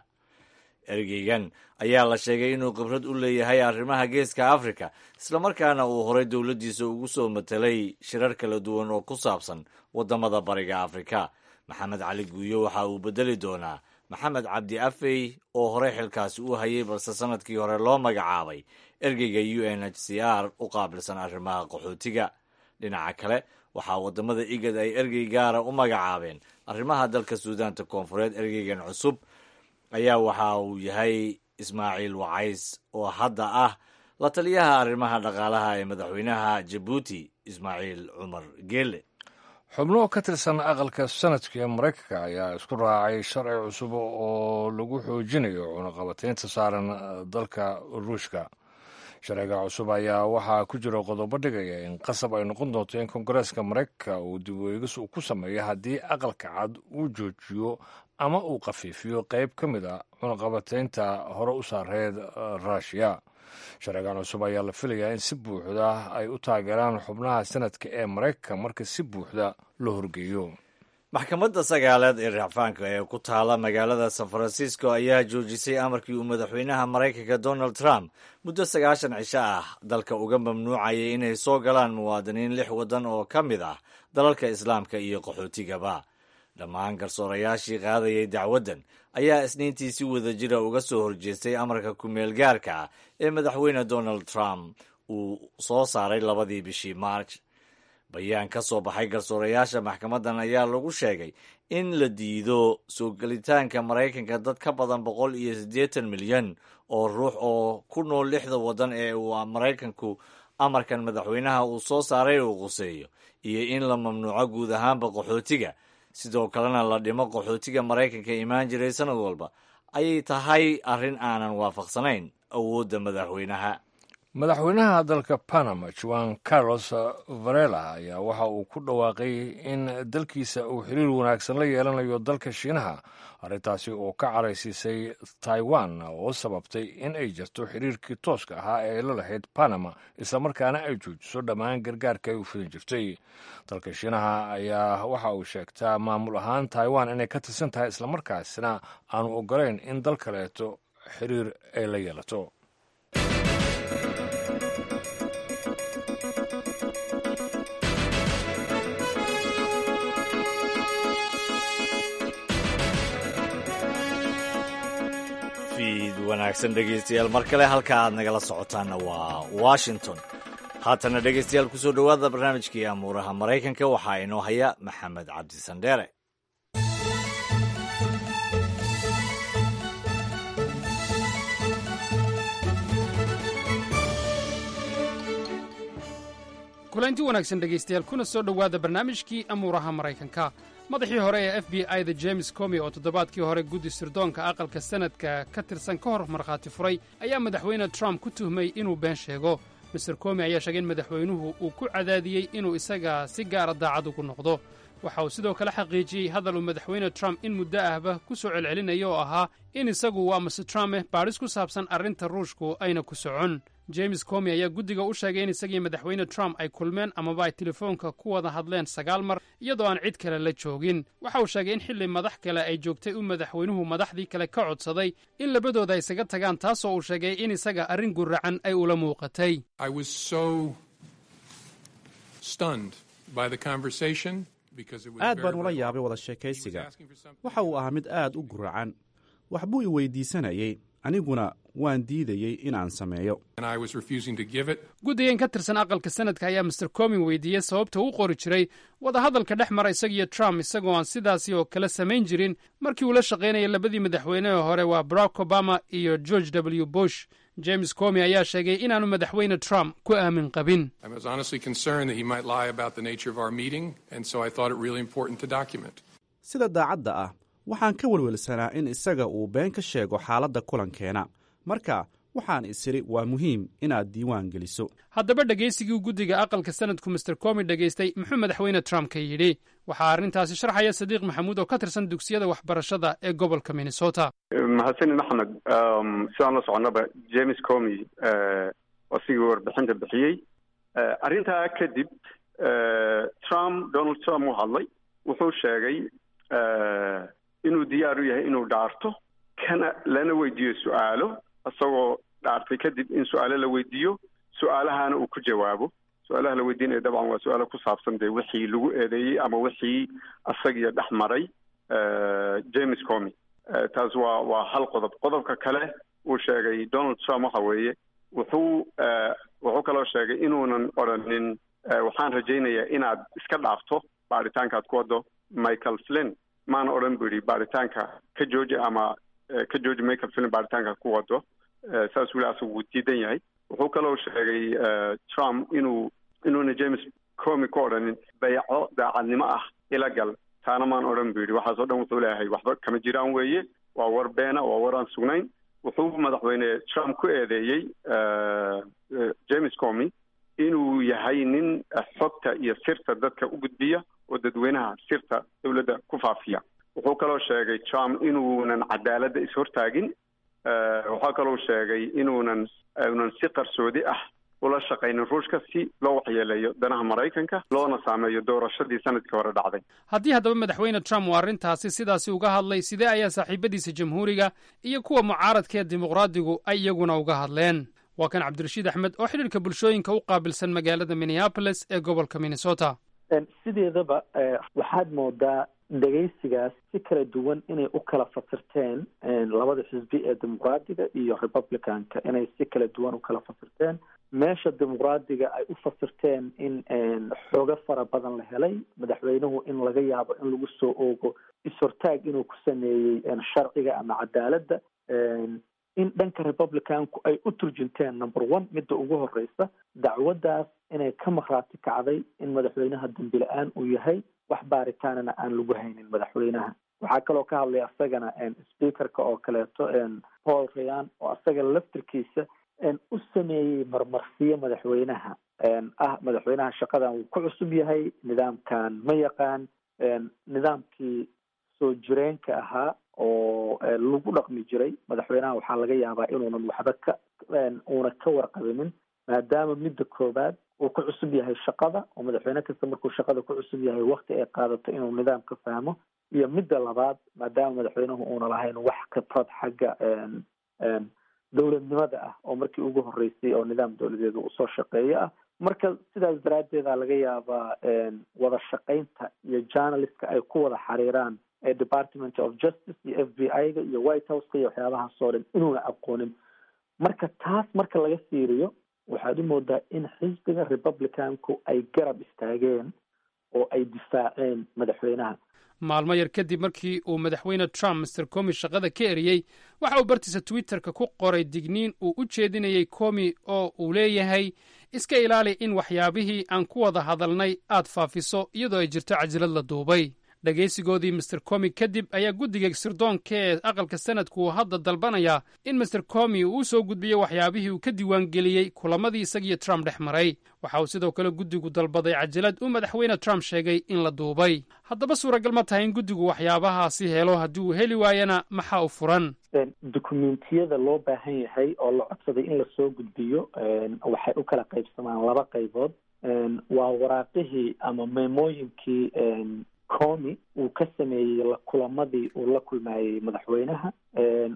Ergeygan ayaa la sheegay inuu khibrad u leeyahay arrimaha Geeska Afrika, islamarkaana uu horay dowladdiisa ugu soo matelay shirar kala duwan oo ku saabsan waddamada Bariga Afrika. Maxamed Cali Guuyo waxa uu bedeli doonaa Maxamed Cabdi Afey oo horey xilkaasi u hayay, balse sanadkii hore loo magacaabay ergeyga UNHCR u qaabilsan arrimaha qaxootiga. Dhinaca kale, waxaa waddamada IGAD ay ergey gaara u magacaabeen arrimaha dalka Suudaanta Koonfureed. Ergeygan cusub ayaa waxa uu yahay Ismaaciil Wacays oo hadda ah la taliyaha arrimaha dhaqaalaha ee madaxweynaha Jabuuti, Ismaaciil Cumar Geele. Xubno ka tirsan aqalka sanadka ee Maraykanka ayaa isku raacay sharci cusub oo lagu xoojinayo cunaqabateynta saaran dalka Ruushka. Sharciga cusub ayaa waxaa ku jira qodobo dhigaya in qasab ay noqon doonto in Koongareeska Maraykanka uu dib u eegis ku sameeyo haddii Aqalka Cad uu joojiyo ama uu khafiifiyo qayb ka mid a cunaqabateynta hore u saareed Ruushiya. Sharcigan cusub ayaa la filayaa in si buuxda ay u taageeraan xubnaha sanadka ee Maraykanka marka si buuxda loo horgeeyo. Maxkamadda sagaalaad ee racfaanka ee ku taala magaalada San Francisco ayaa joojisay amarkii uu madaxweynaha Maraykanka Donald Trump muddo 90 cisho ah dalka uga mamnuucayay inay soo galaan muwaadiniin lix waddan oo ka mid ah dalalka Islaamka iyo qaxootigaba. Dhammaan garsoorayaashii qaadayay dacwaddan ayaa Isniintii si wadajira uga soo horjeestay amarka ku-meel gaarka ah ee madaxweyne Donald Trump uu soo saaray 2dii bishii March. Bayaan ka soo baxay garsoorayaasha maxkamaddan ayaa lagu sheegay in la diido soo gelitaanka Maraykanka dad ka badan 180 milyan oo ruux oo ku nool lixda waddan ee uu Maraykanku amarkan madaxweynaha uu soo saaray uu quseeyo, iyo in la mamnuuco guud ahaanba qaxootiga, sidoo kalena la dhimo qaxootiga Maraykanka imaan jiray sanad walba ayay tahay arrin aanan waafaqsanayn awoodda madaxweynaha. Madaxweynaha dalka Panama, Juan Carlos Varela, ayaa waxa uu ku dhawaaqay in dalkiisa uu xiriir wanaagsan la yeelanayo dalka Shiinaha, arrintaasi oo ka caraysiisay Taiwan oo sababtay in ay jirto xiriirkii tooska ahaa ee ay la lahayd Panama, islamarkaana ay joojiso dhammaan gargaarka ay u fidin jirtay. Dalka Shiinaha ayaa waxa uu sheegtaa maamul ahaan Taiwan inay ka tirsan tahay, islamarkaasina aanu ogolayn in dal kaleeto xiriir ay la yeelato. Fiid wanaagsan, dhegaystayaal, mar kale. Halka aad nagala socotaanna waa Washington. Haatana, dhegaystayaal, kusoo dhowaada barnaamijkii amuuraha Maraykanka. Waxaa inoo haya Maxamed Cabdi Sandheere. Kulanti wanaagsan, dhegaystayaal, kuna soo dhowaada barnaamijkii amuuraha Maraykanka. Madaxii hore ee FBI da, James Comey, oo toddobaadkii hore guddi sirdoonka aqalka sanadka ka tirsan ka hor markhaati furay, ayaa madaxweyne Trump ku tuhmay inuu been sheego. Mister Comey ayaa sheegay in madaxweynuhu uu ku cadaadiyey inuu isaga si gaara daacad ugu noqdo. Waxa uu sidoo kale xaqiijiyey hadal uu madaxweyne Trump in muddo ahba ku soo celcelinayo oo ahaa in isagu waa Mister Trump baadhis ku saabsan arrinta Ruushku ayna ku socon. James Comey ayaa guddiga u sheegay in isagii madaxweyne Trump ay kulmeen amaba ay telefoonka ku wada hadleen sagaal mar, iyadoo aan cid kale la joogin. Waxa uu sheegay in xilli madax kale ay joogtay uu madaxweynuhu madaxdii kale ka codsaday in labadooda ay isaga tagaan, taasoo uu sheegay in isaga arrin guracan ay ula muuqatay. I was so stunned by the conversation because it was Aad baan ula yaabay wada sheekaysiga. Waxa uu ahaa mid aad u guracan. Wax buu i weydiisanayey, aniguna waan diidayey inaan sameeyo. and I was refusing to give it. Guddigan ka tirsan aqalka sanadka ayaa Mister Comey weydiiyey sababta u qori jiray wadahadalka dhex mara isagiyo Trump, isagoo aan sidaasi oo kale samayn jirin markii uu la shaqaynayay labadii madaxweyne ee hore, waa Barack Obama iyo George W Bush. James Comey ayaa sheegay inaanu madaxweyne Trump ku aamin qabin. I was honestly concerned that he might lie about the nature of our meeting, and so I thought it really important to document. Sida daacadda ah, waxaan ka welwelsanaa in isaga uu been ka sheego xaaladda kulankeena, marka Waxaan isiri waa muhiim inaad diiwaan geliso. Haddaba dhegaysigii guddiga aqalka sanadku Mister Comey dhegaystay, muxuu Madaxweyne Trump ka yidhi? Waxaa arrintaasi sharxaya Sadiiq Maxamuud oo ka tirsan dugsiyada waxbarashada ee gobolka Minnesota. Mahadsanid, Maxamed. Sidaan la soconaba, James Comey asigii warbixinta bixiyey. Arrintaa kadib Trump, Donald Trump, uu hadlay. Wuxuu sheegay inuu diyaar u yahay inuu dhaarto, kana lana weydiiyo su-aalo, isagoo dhaartay kadib in su-aalo la weydiiyo, su-aalahana uu ku jawaabo. Su-aalaha la weydiinaya dabcan waa su-aalo ku saabsan dee wixii lagu eedeeyey ama wixii asagiyo dhex maray James Comey. Taas waa hal qodob. Qodobka kale uu sheegay Donald Trump waxa weeye, wuxuu kaloo sheegay inuunan odhanin "Waxaan rajaynayaa inaad iska dhaafto baaritaankaad ku waddo Michael Flynn." Maana odhan, buu yidhi, "Baaritaanka ka jooji" ama "Ka jooji Michael Flynn baaritaanka ku wado." Saas weli asagu wuu diidan yahay. Wuxuu kaloo sheegay Trump inuuna James Comey ku odhanin "Bayco daacadnimo ah ila gal." "Taana maan odhan," buu yidhi. Waxaasoo dhan wuxuu leeyahay waxba kama jiraan weeye, waa war beena, waa war aan sugnayn. Wuxuu Madaxweyne Trump ku eedeeyey James Comey inuu yahay nin xogta iyo sirta dadka u gudbiya oo dadweynaha sirta dowladda ku faafiya. Wuxuu kaloo sheegay Trump inuunan cadaaladda is-hortaagin. Waxaa kaloo sheegay inuunan unan si qarsoodi ah ula shaqaynin Ruushka si loo waxyeeleeyo danaha Maraykanka, loona saameeyo doorashadii sanadkii hore dhacday. Haddii haddaba Madaxweyne Trump uu arrintaasi sidaasi uga hadlay, sidee ayaa saaxiibadiisa Jamhuuriga iyo kuwa mucaaradka ee Dimuqraadigu ay iyaguna uga hadleen? Waa kan Cabdirashiid Axmed oo xidhiirka bulshooyinka u qaabilsan magaalada Minneapolis ee gobolka Minnesota. Sideedaba waxaad moodaa dhegaysigaas si kala duwan inay u kala fasirteen labada xisbi ee Dimuqraadiga iyo Republicanka, inay si kala duwan u kala fasirteen. Meesha Dimuqraadiga ay u fasirteen in xoogo fara badan la helay, madaxweynuhu in laga yaabo in lagu soo oogo is-hortaag inuu ku sameeyey sharciga ama cadaaladda, in dhanka Republicanku ay u turjunteen, number one, midda ugu horeysa, dacwaddaas inay ka makhraati kacday in madaxweynaha dambi la-aan uu yahay, wax baaritaanana aan lagu haynin madaxweynaha. Waxaa kaloo ka hadlay asagana speakerka oo kaleeto, Paul Ryan, oo asaga laftirkiisa u sameeyey marmarsiyo madaxweynaha ah: madaxweynaha shaqadan wuu ku cusub yahay, nidaamkan ma yaqaan, nidaamkii soo jireenka ahaa oo lagu dhaqmi jiray madaxweynaha waxaa laga yaabaa inuunan waxba ka uuna ka warqabinin, maadaama midda koowaad uu ku cusub yahay shaqada, oo madaxweyne kasta markuu shaqada ku cusub yahay wakti ay qaadato inuu nidaamka fahmo, iyo midda labaad, maadaama madaxweynuhu uuna lahayn wax khibrad xagga dowladnimada ah, oo markii ugu horreysay oo nidaam dowladeed uu soo shaqeeyo ah. Marka sidaas daraaddeeda laga yaabaa wada shaqaynta iyo journalistka ay ku wada xiriiraan ee Department of Justice iyo FBI-ga iyo White Houseka iyo waxyaabahaas oo dhan inuuna aqoonin. Marka taas marka laga fiiriyo, waxaad u moodaa in xisbiga Republicanku ay garab istaageen oo ay difaaceen madaxweynaha. Maalmo yar kadib markii uu Madaxweyne Trump Mister Comey shaqada ka eriyey, waxa uu bartiisa Twitterka ku qoray digniin uu u jeedinayey Comey oo uu leeyahay: "Iska ilaali in waxyaabihii aan ku wada hadalnay aad faafiso iyadoo ay jirto cajalad la duubay." Dhegaysigoodii Mister Comey kadib ayaa guddiga sirdoonka ee aqalka sanadku uu hadda dalbanayaa in Mister Comey uu u soo gudbiyo waxyaabihii uu ka diiwaangeliyey kulamadii isagiyo Trump dhex maray. Waxa uu sidoo kale guddigu dalbaday cajalad uu Madaxweyne Trump sheegay in la duubay. Haddaba suuragal ma tahay in guddigu waxyaabahaasi helo? Haddii uu heli waayana, maxaa u furan? Dukumentiyada loo baahan yahay oo la codsaday in lasoo gudbiyo waxay u kala qaybsamaan laba qaybood. Waa waraaqihii ama memooyinkii Comey uu ka sameeyey kulamadii uu la kulmayey madaxweynaha,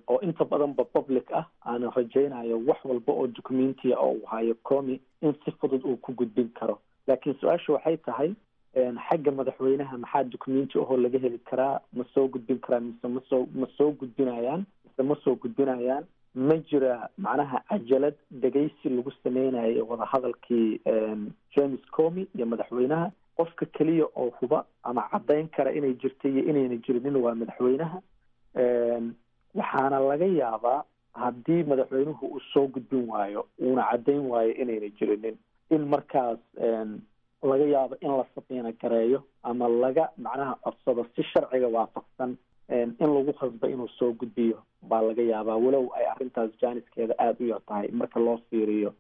oo inta badanba public ah. Aanan rajaynayo wax walba oo documentiya oo uu hayo Comey in si fudud uu ku gudbin karo. Laakiin su-aasha waxay tahay, xagga madaxweynaha maxaa documenti ahoo laga heli karaa? Ma soo gudbin karaa mise ma soo gudbinayaan mise ma soo gudbinayaan? Ma jira macnaha cajalad dhegaysi lagu sameynayo wadahadalkii James Comey iyo madaxweynaha? Qofka keliya oo huba ama caddayn kara inay jirta iyo inayna jirinin waa madaxweynaha. Waxaana laga yaabaa haddii madaxweynuhu uu soo gudbin waayo, uuna caddayn waayo inayna jirinin, in markaas laga yaabo in la subpoena gareeyo ama laga macnaha codsado si sharciga waafaqsan. In lagu khasba inuu soo gudbiyo baa laga yaabaa, walow ay arrintaas jaaniskeeda aada u yar tahay marka loo fiiriyo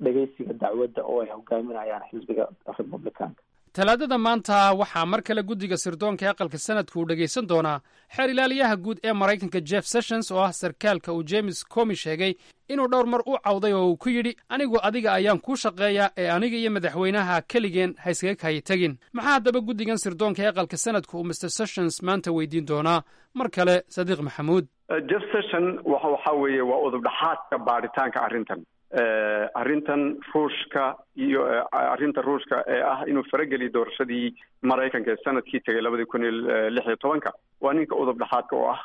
dhegeysiga dacwadda oo ay hogaaminayaan xisbiga Republicanka. Talaadada maanta waxaa mar kale guddiga sirdoonka ee aqalka sanadku uu dhegaysan doonaa xeer ilaaliyaha guud ee Maraykanka Jeff Sessions, oo ah sarkaalka uu James Comi sheegay inuu dhowr mar u cawday oo uu ku yidhi, "Anigu adiga ayaan kuu shaqeeyaa ee aniga iyo madaxweynaha keligeen ha iskaga kaaya tegin." Maxaa haddaba guddigan sirdoonka ee aqalka sanadku uu Mr Sessions maanta weydiin doonaa? Mar kale Sadiiq Maxamuud. Jeff Sessions waxa weeye waa udub dhexaadka baadhitaanka arrintan Ruushka iyo arrinta Ruushka ee ah inuu farageliyo doorashadii Maraykanka ee sanadkii tegay 2016-ka. Waa ninka udub dhexaadka oo ah.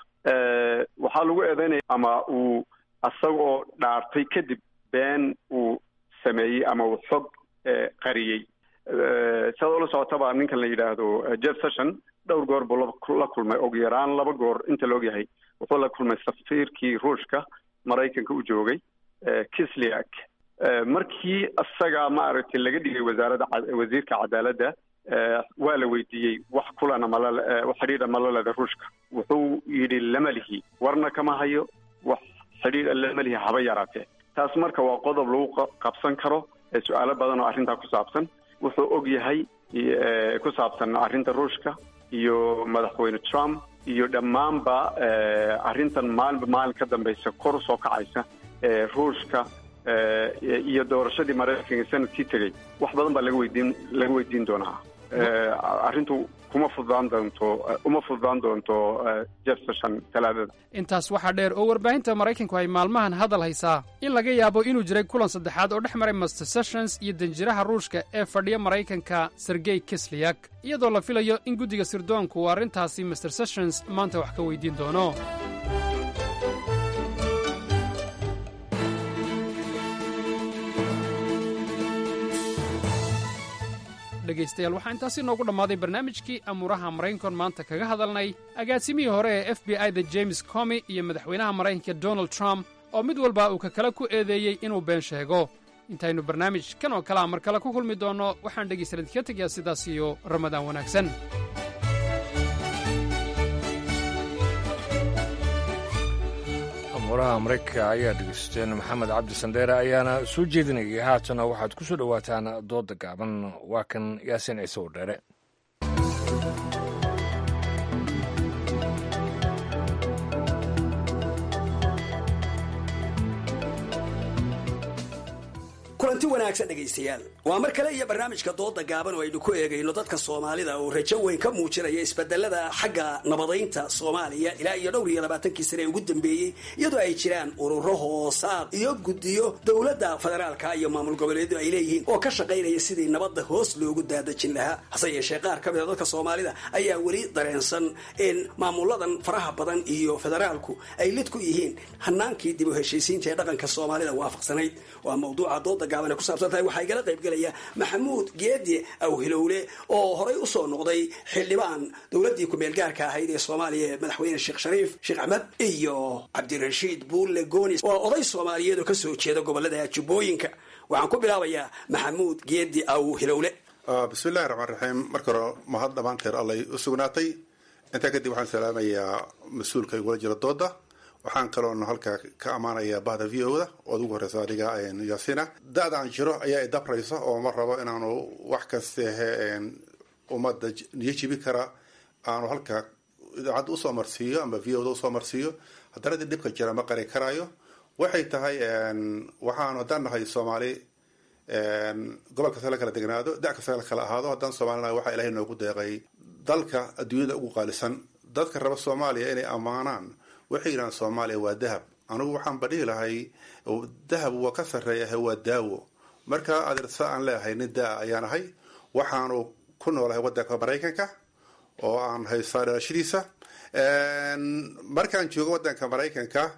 Waxaa lagu eedeynaya ama uu isagoo dhaartay kadib been uu sameeyey ama uu xog qariyey. Sidaad ula socotaba, ninkan la yidhaahdo Jeff Sessions dhowr goor buu la kulmay, ugu yaraan laba goor inta la ogyahay. Wuxuu la kulmay safiirkii Ruushka Maraykanka u joogay, Kisliak, markii isaga maaragtay laga dhigay wasaaradda, wasiirka cadaaladda. Waa la weydiiyey wax kulana mala, wax xidhiidha mala leda Ruushka? Wuxuu yidhi, "Lama lihi, warna kama hayo, wax xidhiidha lama lihi haba yaraatee." Taas marka waa qodob lagu qabsan karo su-aalo badan oo arrintaa ku saabsan, wuxuu og yahay ku saabsan arrinta Ruushka iyo madaxweyne Trump iyo dhammaanba arrintan maalinba maalin ka dambaysa kor usoo kacaysa ee Ruushka iyo doorashadii Maraykanka sanadkii tegey. Wax badan baa laga weydiin doonaa. Arrintu kuma fududaan doonto, uma fududaan doonto Jeff Sessions Talaadada. Intaas waxaa dheer oo warbaahinta Maraykanku ay maalmahan hadal haysaa in laga yaabo inuu jiray kulan saddexaad oo dhex maray Mr Sessions iyo danjiraha Ruushka ee fadhiya Maraykanka, Sergey Kisliyak, iyadoo la filayo in guddiga sirdoonku uu arrintaasi Mr Sessions maanta wax ka weydiin doono. Dhegaystayaal, waxaa intaasi noogu dhammaaday barnaamijkii amuuraha Maraykankoon maanta kaga hadalnay agaasimihii hore ee FBI da James Comi iyo madaxweynaha Maraykanka Donald Trump, oo mid walba uu ka kale ku eedeeyey inuu been sheego. Intaynu barnaamij kan oo kalea mar kale ku kulmi doonno, waxaan dhegaystayaal idinkaga tegayaa sidaas iyo Ramadaan wanaagsan. Amuuraha Maraykanka ayaa dhegeysateen, Maxamed Cabdi Sandheere ayaana soo jeedinayay. Haatana waxaad ku soo dhowaataan dooda gaaban. Waa kan Yaasiin Ciise Wardheere. Kulanti wanaagsan dhegaystayaal, waa mar kale iyo barnaamijka dooda gaaban oo aynu ku eegayno dadka Soomaalida oo rajo weyn ka muujinaya isbedelada xagga nabadaynta Soomaaliya ilaa iyo dhowr iyo labaatankii sane ee ugu dambeeyey, iyadoo ay jiraan ururo hoosaad iyo guddiyo dowladda federaalka iyo maamul goboleedu ay leeyihiin oo ka shaqaynaya sidii nabadda hoos loogu daadajin lahaa. Hase yeeshee, qaar ka mida dadka Soomaalida ayaa weli dareensan in maamuladan faraha badan iyo federaalku ay lid ku yihiin hanaankii dib u heshiisiinta ee dhaqanka Soomaalida waafaqsanayd. Waa mawduuca dooda gaaban ay ku saabsan tahay. Waxaa igala qayb gelaya Maxamuud Geedi Awhilowle oo horay usoo noqday xildhibaan dowladdii ku-meel gaarka ahayd ee Soomaaliya ee madaxweyne Sheekh Shariif Sheekh Axmed, iyo Cabdirashiid Buulle Goonis oo oday Soomaaliyeed oo kasoo jeeda gobolada Jubbooyinka. Waxaan ku bilaabayaa Maxamuud Geedi Awhilowle. Bismillahi raxmaan raxiim. Marka hore mahad dhammaanteer Allay u sugnaatay. Intaa kadib waxaan salaamayaa mas-uulka igula jira dooda. Waxaan kaloon halkaa ka ammaanayaa bahda VO da ood ugu horeysa adiga Yaasina. Da-da aan jiro ayaa idabraysa oo ma rabo inaanu wax kastehe ummadda niyo jibi kara aanu halkaa idaacadda usoo marsiiyo ama VO da usoo marsiiyo. Haddana dii dhibka jira ma qari karaayo. Waxay tahay, waxaanu haddaan nahay Soomaali, gobol kasta la kala degnaado, da kasta la kala ahaado, haddaan Soomaalinahay, waxaa Ilahay noogu deeqay dalka adduunyada ugu qaalisan. Dadka raba Soomaaliya inay ammaanaan waxay yidhahaan Soomaaliya waa dahab. Anigu waxaan ba dhihi lahay dahab waa ka sarreeyahay, waa daawo. Marka adeersa aan leeyahay, nin daa ayaan ahay, waxaanu ku noolahay waddanka Maraykanka oo aan haystaa dhalashadiisa. Markaan joogo waddanka Maraykanka,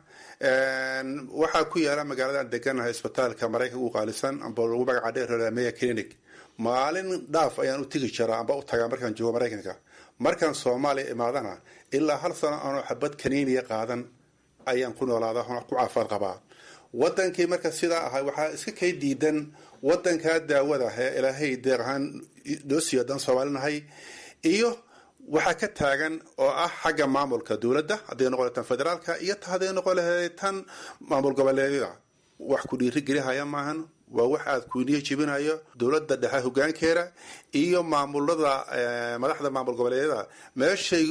waxaa ku yaala magaaladan deganahay isbitaalka Maraykanka ugu qaalisan amba lagu magaca dheer Mayo Clinic. Maalin dhaaf ayaan u tegi jiraa amba u tagaa markaan joogo Maraykanka. Markaan Soomaaliya imaadana, ilaa hal sano aanoo xabad kaniiniya qaadan ayaan ku noolaadaa, ku caafimaad qabaa. Wadankii marka sidaa ahay, waxaa iska kay diidan wadankaa daawada ee Ilaahay deeq ahaan noo siiyo haddaan Soomaalinahay iyo Waxaa ka taagan oo ah xagga maamulka dowladda, hadday noqon lahayd tan federaalka iyo hadday noqon lahayd tan maamul goboleedyada, wax ku dhiirigelihaya maahan. Waa wax aad kuuniyo jebinayo dowladda dhexe hogaankeeda iyo maamulada, madaxda maamul goboleedyada, meeshay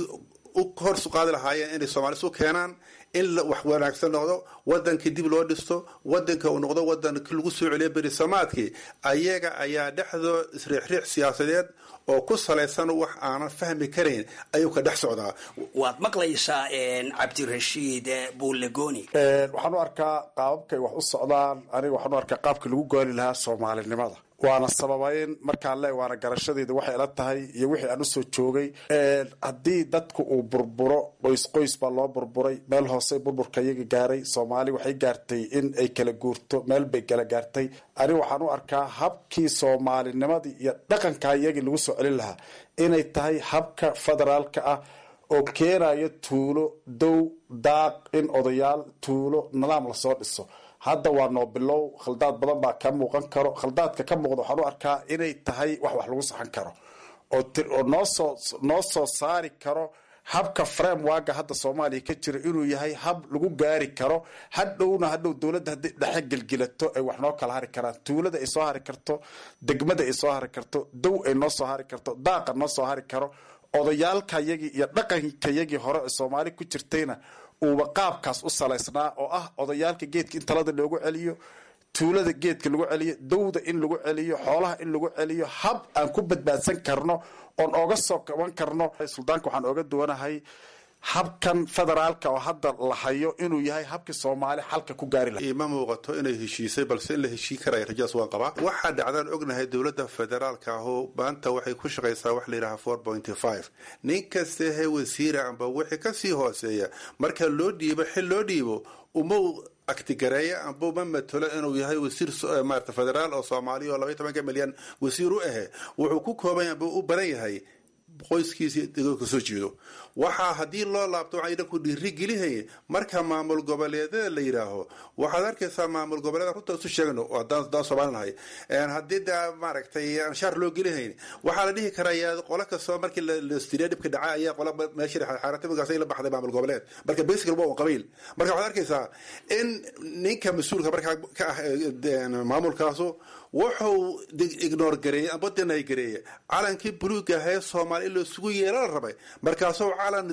u hor qaadi lahaayeen inay Soomaali isu keenaan, in wax wanaagsan noqdo, wadankii dib loo dhisto, wadanka uu noqdo wadan lagu soo celiyo berisamaadkii. Ayaga ayaa dhexdoo isriixriix siyaasadeed oo ku salaysan wax aanan fahmi karayn ayuu ka dhex socdaa. Waad maqlaysaa Cabdirashiid Buulegoni. Waxaan u arkaa qaababkay wax u socdaan, aniga waxaan u arkaa qaabkii lagu gooli lahaa soomaalinimada, waana sababayn markaan le, waana garashadeeda waxay ila tahay iyo wixii aan usoo joogay. Haddii dadku uu burburo, qoys qoys baa loo burburay, meel hoose burburka iyaga gaaray. Soomaali waxay gaartay in ay kala guurto, meel bay kala gaartay. Ani waxaan u arkaa habkii soomaalinimadii iyo dhaqanka iyagii lagu soo celin lahaa inay tahay habka federaalka ah oo keenayo tuulo, dow, daaq, in odayaal tuulo nidaam lasoo dhiso. Hadda waa noo bilow, khaldaad badan baa ka muuqan karo. Khaldaadka ka muuqda waxaan u arkaa inay tahay wax lagu saxan karo oo noo soo saari karo habka frameworka hadda Soomaaliya ka jira inuu yahay hab lagu gaari karo. Hadhowna hadhow dowladda haddii dhexe gelgilato ay wax noo kala hari karaan, tuulada ay soo hari karto, degmada ay soo hari karto, dow ay noo soo hari karto, daaqa noo soo hari karo, odayaalkayagii iyo dhaqankayagii hore ee Soomaali ku jirtayna uuba qaabkaas u salaysnaa, oo ah odayaalka geedka in talada loogu celiyo, tuulada geedka lagu celiyo, dowda in lagu celiyo, xoolaha in lagu celiyo, hab aan ku badbaadsan karno oon ooga soo kaban karno. Suldaanka waxaan ooga duwanahay habkan federaalka oo hadda la hayo inuu yahay habkii Soomaali xalka ku gaari lahaa. Ima muuqato inay heshiisay, balse in la heshiin karaya rajadaas waan qabaa. Waxaa dhacdaan ognahay dowladda federaalka ahu maanta waxay ku shaqaysaa wax la yidhaha 4.5. Nin kasta he wasiira amba wixii kasii hooseeya marka loo dhiibo xil loo dhiibo, uma aktigareeya amba uma matalo inuu yahay wasiir maarata federaal oo Soomaaliya oo 12-ka milyan wasiir u ahe. Wuxuu ku kooban yahay amba u badan yahay qoyskiisa deegaanka kasoo jeedo. Waxaa haddii loo laabto waxay dhanku dhiirigelihaya marka maamul goboleedyada la yidhaaho, waxaad arkaysaa maamul goboleeda, runta isu sheegno haddaan Soomaali nahay, haddii daa maaragtay aan shaar loo gelihayn, waxaa la dhihi karayaa qolo kastoo markii la dhibka dhaca ayaa qola meesha xaaratimikaas la baxday maamul goboleed. Marka basically waa un qabiil. Marka waxaad arkaysaa in ninka mas-uulka markaa ka ah maamulkaasu wuxuu ignore gareeyey amba deny gareeyey calankii buluuga ahee Soomaali in laisugu yeela la rabay. Markaasuu calan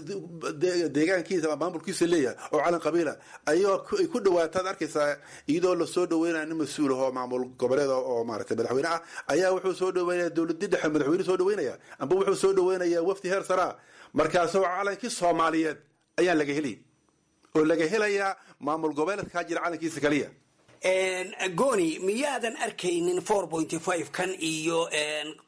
deegaankiisa ama maamulkiisa leeyahay oo calan qabiila ayagoo ay ku dhawaataad arkaysaa, iyadoo lasoo dhaweynaya nin mas-uul ah oo maamul goboleed oo maaragtay madaxweyne ah ayaa wuxuu soo dhaweynaya dowladii dhexe, madaxweyne soo dhaweynaya amba wuxuu soo dhaweynayaa wafdi heer saraa. Markaasuu calankii Soomaaliyeed ayaa laga heli oo laga helayaa maamul goboleedkaa jira calankiisa kaliya. Goni, miyaadan arkaynin 4.5 kan iyo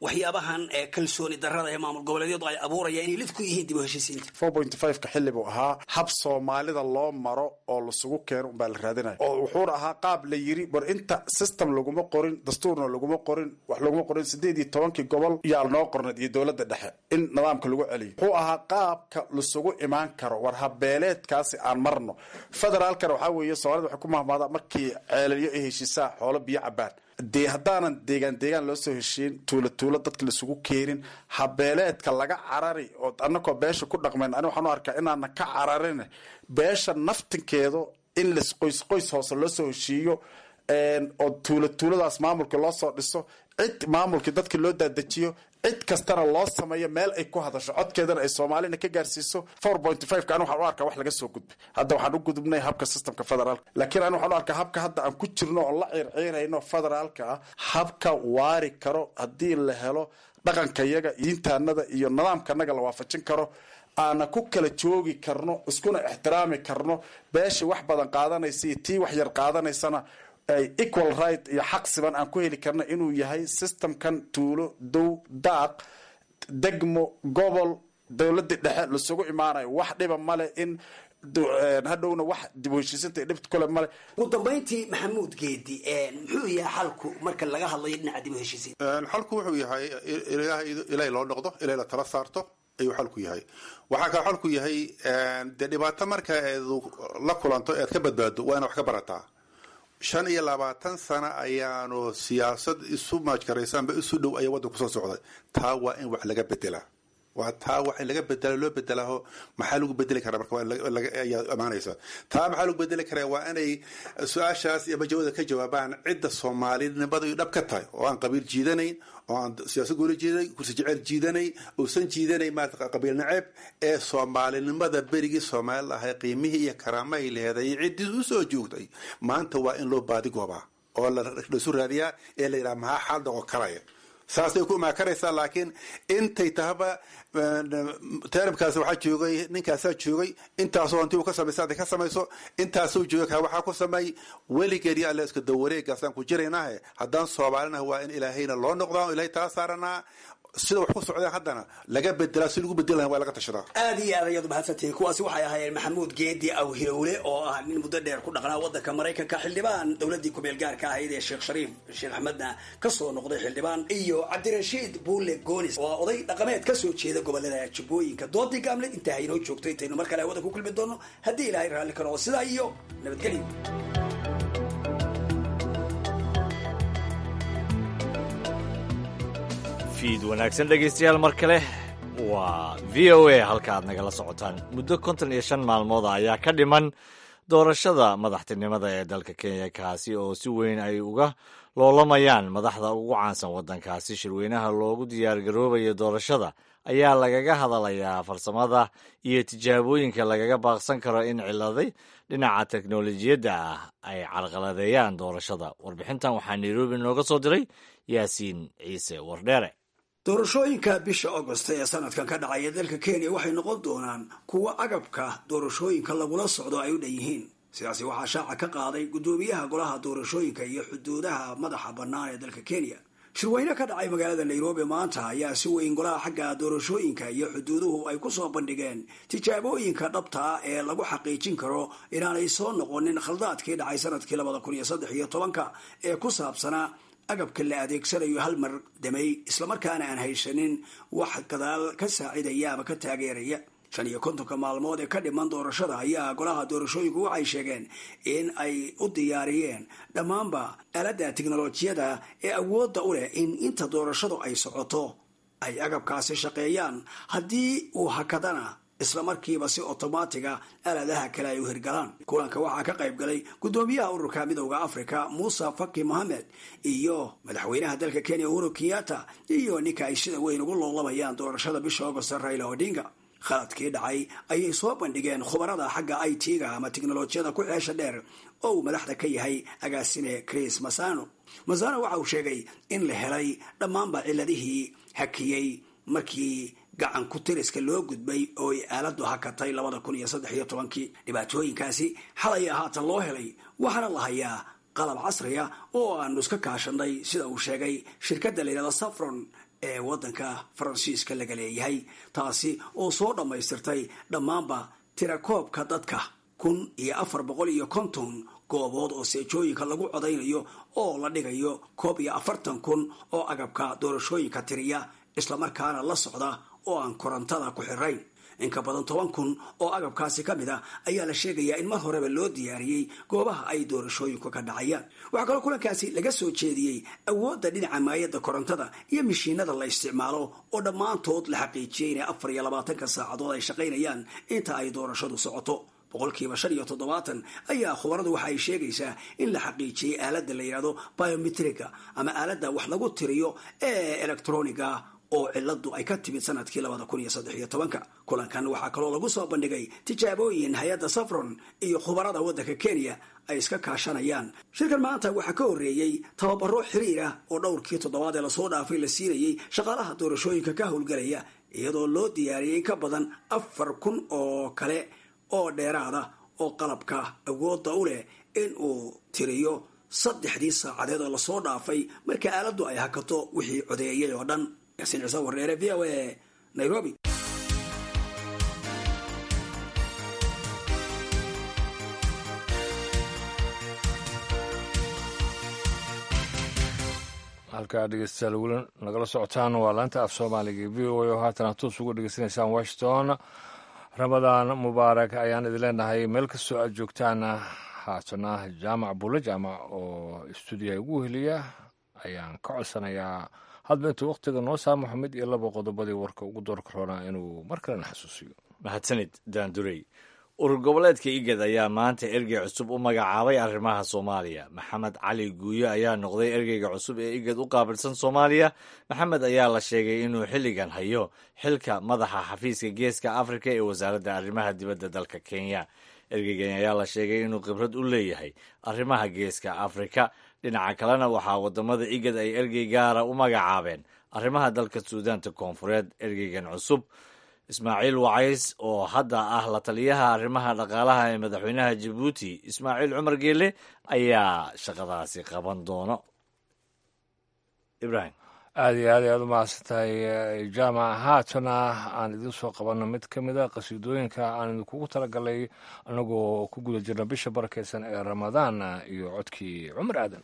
waxyaabahan kalsooni darrada ee maamul goboleedyadu ay abuurayaan inay lid ku yihiin dib u heshiisiinta? 4.5-ka xilli buu ahaa hab Soomaalida loo maro oo lasugu keeno unbaa la raadinaya, oo wuxuuna ahaa qaab la yiri war inta system laguma qorin, dastuurna laguma qorin, wax laguma qorin. 18-kii gobol yaa noo qornad iyo dowladda dhexe in nidaamka lagu celiyo. Wuxuu ahaa qaabka lasugu imaan karo war habeeleedkaasi aan marno. Federaalkana waxaa weeye Soomaalida waxay ku mahmaadaa markii ceelyo ay heshiisaa xoolo biyo cabaan. Dee haddaanan deegaan deegaan loo soo heshiin, tuulo tuulo dadka laisugu keenin, habeeleedka laga carari oo annakoo beesha ku dhaqmayn, ani waxaan u arkaa inaanan ka cararin beesha naftinkeedu, in las qoys qoys hoose loo soo heshiiyo oo tuulo tuuladaas maamulka loo soo dhiso, cid maamulkii dadka loo daadejiyo, cid kastana loo sameeyo meel ay ku hadasho, codkeedana ay Soomaalina ka gaarsiiso. 4.5-ka ani waxaan u arkaa wax laga soo gudbay. Hadda waxaan u gudubnay habka systemka federaalka, laakiin ani waxaan u arkaa habka hadda aan ku jirno oo la ciirciirayno federaalka ah habka waari karo haddii la helo dhaqankayaga, diintaanada iyo nidaamkanaga la waafajin karo, aana ku kala joogi karno, iskuna ixtiraami karno, beesha wax badan qaadanaysa iyo tii wax yar qaadanaysana ay equal right iyo xaq siban aan ku heli karna, inuu yahay systemkan tuulo, dow, daaq, degmo, gobol, dowladii dhexe lasugu imaanayo. Wax dhiba male in hadhowna wax dib u heshiisinta dhibta kule male. Ugu dambayntii, Maxamuud Geedi, muxuu yahay xalku marka laga hadlayo dhinaca dib u heshiisiinta? Xalku wuxuu yahay ilaahay loo noqdo, ilaahay la tala saarto ayuu xalku yahay. Waxaa kaloo xalku yahay dee dhibaato marka eed la kulanto eed ka badbaado waa inaad wax ka barataa. 25 sano ayaanu siyaasad isu maajkaraysa amba isu dhow ayaa waddanku soo socday. Taa waa in wax laga bedelaa. Waa taa wax in laga bedelo loo bedelaaho. Maxaa lagu bedeli karaa marka ayaa amaanaysa? Taa maxaa lagu bedeli karaa? Waa inay su-aashaas iyo majawada ka jawaabaan cidda soomaalinimadu dhab ka tahay, oo aan qabiil jiidanayn, oo aan siyaasad gooli jiidanay, kursi jecel jiidanay, uusan jiidanay maarata qabiil naceeb, ee soomaalinimada berigii soomaali ahay qiimihii iyo karaamahay leheday iyo ciddii usoo joogtay. Maanta waa in loo baadigoobaa oo laisu raadiyaa ee la yidhaha maxaa xaal noqon karaya. Saasay ku imaan karaysaa. Laakiin intay tahaba teramkaas waxaa joogay ninkaasaa joogay, intaasoo hanti uu ka samaysa hadday ka samayso, intaasuu joogay kaa waxaa ku sameey weligeed iyo alle iska dawareegaasaan ku jiraynahe. Haddaan soomaalinaha waa in ilaahayna loo noqdaa oo ilahay tala saaranaa. Sida wax ku socdeen haddana laga bedelaa, si lagu bedeli lahaa waa laga tashadaa. Aad iyo aad ayaad umahadsantihiin. Kuwaasi waxay ahaayeen Maxamuud Geedi Awhilowle oo ah nin muddo dheer ku dhaqnaa waddanka Maraykanka, xildhibaan dowladdii kumeel gaarka ahayd ee Sheekh Shariif Sheekh Axmedna kasoo noqday xildhibaan, iyo Cabdirashiid Buule Goonis oo ah oday dhaqameed kasoo jeeda gobolada Jubbooyinka. Doodii gaamleed intaa haynoo joogto, intaynu mar kale hawada ku kulmi doono haddii Ilaahay raalli ka noqdo, sidaa iyo nabadgelyo. Fiid wanaagsan dhegaystayaal, mar kale waa VOA halka aad nagala socotaan. Muddo 55 maalmooda ayaa ka dhiman doorashada madaxtinimada ee dalka Kenya, kaasi oo si weyn ay uga loolamayaan madaxda ugu caansan waddankaasi. Shirweynaha loogu diyaargaroobayo doorashada ayaa lagaga hadalayaa farsamada iyo tijaabooyinka lagaga baaqsan karo in ciladay dhinaca teknolojiyadda ah ay carqaladeeyaan doorashada. Warbixintan waxaa Nairobi nooga soo diray Yaasiin Ciise Wardheere. Doorashooyinka bisha Agost ee sanadkan ka dhacaya dalka Kenya waxay noqon doonaan kuwo agabka doorashooyinka lagula socdo ay u dhan yihiin. Sidaasi waxaa shaaca ka qaaday guddoomiyaha golaha doorashooyinka iyo xuduudaha madaxa bannaan ee dalka Kenya. Shirweyne ka dhacay magaalada Nairobi maanta ayaa si weyn golaha xagga doorashooyinka iyo xuduuduhu ay ku soo bandhigeen tijaabooyinka dhabta ah ee lagu xaqiijin karo inaanay soo noqonin khaldaadkii dhacay sanadkii 2013-ka ee ku saabsanaa agabka la adeegsanayo hal mar damay, islamarkaana aan haysanin wax gadaal ka saacidaya ama ka taageeraya. 55-ka maalmood ee ka dhiman doorashada ayaa golaha doorashooyinku waxay sheegeen in ay u diyaariyeen dhammaanba aaladda tiknolojiyada ee awoodda u leh in inta doorashadu ay socoto ay agabkaasi shaqeeyaan, haddii uu hakadana isla markiiba si otomaatiga aaladaha kale ay u hirgalaan. Kulanka waxaa ka qayb galay guddoomiyaha ururka Midowda Africa Muuse Faki Mohamed iyo madaxweynaha dalka Kenya Uhuru Kenyatta iyo ninka ay sida weyn ugu loolabayaan doorashada bisha Agost, Raila Odinga. Khaladkii dhacay ayay soo bandhigeen khubarada xagga IT-ga ama tiknolojiyada ku xeesha dheer oo uu madaxda ka yahay agaasime Chris Masano. Masano waxa uu sheegay in la helay dhammaanba ciladihii hakiyey markii gacan ku tiriska loo gudbay oo ay aaladu hakatay 2013-kii. Dhibaatooyinkaasi xalay haatan loo helay, waxaana la hayaa qalab casriya oo aanu iska kaashanay, sida uu sheegay shirkadda la yidhahdo Safron ee waddanka Faransiiska laga leeyahay, taasi oo soo dhammaystirtay dhammaanba tirakoobka dadka 1450 goobood oo seejooyinka lagu codaynayo oo la dhigayo 41,000 oo agabka doorashooyinka tiriya islamarkaana la socda oo aan korontada ku xirayn. In ka badan 10,000 oo agabkaasi ka mid ah ayaa la sheegayaa in mar horeba loo diyaariyey goobaha ay doorashooyinku ka dhacayaan. Waxaa kaloo kulankaasi laga soo jeediyey awoodda dhinaca maayadda korontada iyo mishiinada la isticmaalo oo dhammaantood la xaqiijiyey inay 24-ka saacadood ay shaqaynayaan inta ay doorashadu socoto. 75% ayaa khubaradu waxa ay sheegaysaa in la xaqiijiyey aaladda la yidhahdo biometriga ama aaladda wax lagu tiriyo ee electroniga oo ciladu ay ka timid sanadkii 2013-ka. Kulankan waxaa kaloo lagu soo bandhigay tijaabooyin hay-adda Safron iyo khubarada waddanka Kenya ay iska kaashanayaan. Shirkan maanta waxaa ka horreeyey tababaro xiriir ah oo dhowrkii toddobaad ee lasoo dhaafay la siinayey shaqaalaha doorashooyinka ka howlgelaya, iyadoo loo diyaariyey in ka badan 4000 oo kale oo dheeraada oo qalabka awoodda u leh in uu tiriyo saddexdii saacadeed oo lasoo dhaafay marka aaladdu ay hakato wixii codeeyay oo dhan. Yaasiin Ciise Wardheere, VOA, Nairobi. Halkaa dhegeystayaal weli nagala socotaan waa laanta af Soomaaliga VOA oo haatan toos uga dhegeysanaysaan Washington. Ramadaan mubaarak ayaan idin leenahay meel kastoo aad joogtaan. Haatana Jaamac Bulle Jaamac oo stuudiyaha ugu heliya ayaan ka codsanayaa Hadba intuu wakhtiga noo saamaxo mid iyo laba qodobadii warka ugu doorka roonaa inuu mar kalena xasuusiyo. Mahadsanid Daandurey. Urur goboleedka IGAD ayaa maanta ergey cusub u magacaabay arrimaha Soomaaliya. Maxamed Cali Guuyo ayaa noqday ergeyga cusub ee IGAD u qaabilsan Soomaaliya. Maxamed ayaa la sheegay inuu xilligan hayo xilka madaxa xafiiska Geeska Afrika ee wasaaradda arrimaha dibadda dalka Kenya. Ergeygan ayaa la sheegay inuu khibrad u leeyahay arrimaha Geeska Afrika. Dhinaca kalena, waxaa wadamada IGAD ay ergey gaara u magacaabeen arrimaha dalka Suudaanta Koonfureed. Ergeygan cusub, Ismaaciil Wacays, oo hadda ah la taliyaha arrimaha dhaqaalaha ee madaxweynaha Jabuuti Ismaaciil Cumar Geele, ayaa shaqadaasi qaban doono. Ibrahim. Aad iyo aad ayaad u mahadsan tahay, Jaamac. Haatana aan idiin soo qabanno mid ka mid a qasiidooyinka aan idinkugu talagalay annagoo ku guda jirna bisha barakeysan ee Ramadaan, iyo codkii Cumar Aadan.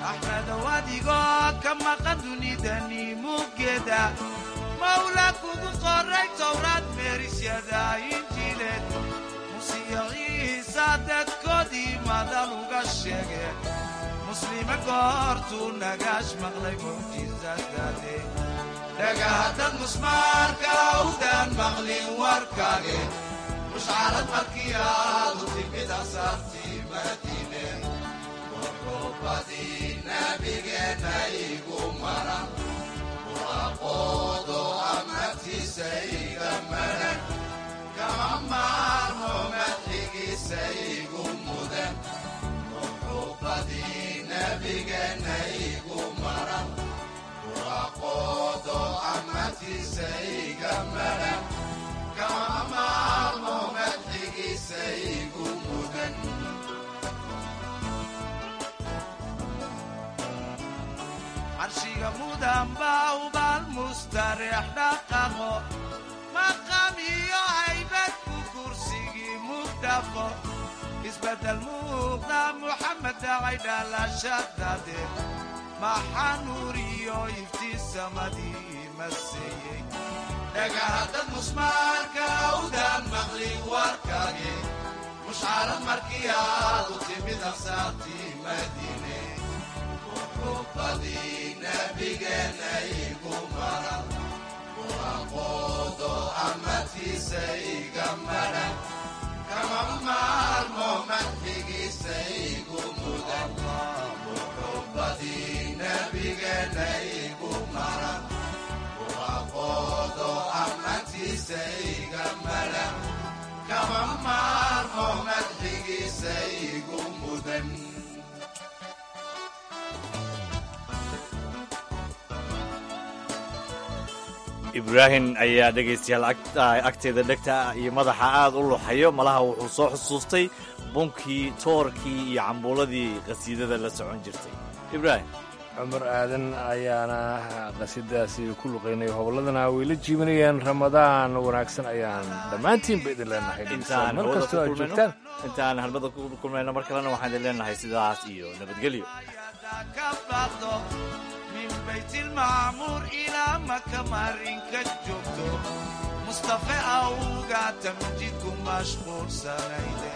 Axmedow, adigoo ka maqan dunidani muggeeda, Mawla kugu qoray Towraad, meerisyada Injiileed, Musiya Ciisa dadkoodii madal uga sheege, muslima goortuu nagaash maqlay mucjizadaade. Dhagahadad musmaarka awdaan maqlin warkaage, mushcarad markii aad u timid asaartii Madiine, muxubbadii nabigeena igu maran, muraqoodo amartiisa iga maran, kama maarmo madxigiisa igu mudan. Muxubbadii nabigeena igu maran, muraqoodo amartiisa iga maran, kama maarmo madxigiisa igu mudan. Carshiga mudan baa ubaal mustareex dhaqaqo, maqam iyo haybad ku kursigii mugdhafo, isbeddel muuqda Muxamed dhacay dhalashadade, maxaa nuuriyo iftiisamadii maseeyey. Dhagahadad musmaarka awdaan maqli warkaage, mushcarad markii aad u timid aqsaartii Madiine, muxubbadii nabigeena igu maran, muraqoodo amartiisa iga maran, kama maarmo madxigiisa igu mudan. Muxubbadii nabigeena igu maran, muraqoodo amartiisa iga maran, kama maarmo madxigiisa igu mudan. Ibraahim ayaa dhegaystayaal agteeda dhegta iyo madaxa aad u luxayo. Malaha wuxuu soo xusuustay bunkii, toorkii iyo cambuuladii qasiidada la socon jirtay, Ibraahim. Cumar Aadan ayaana qasiidadaasi ku luqaynay, hobolladana way la jiibanayeen. Ramadaan wanaagsan ayaan dhammaantiinba idin leenahay mar kastoo aad joogtaan. Intaan halmada ku kulmayno mar kalena, waxaan idin leenahay sidaas iyo nabadgelyo. Min baytilmacmuur ilaa Maka marinka joogto, Mustafe awga tamjidku mashquulsanayde.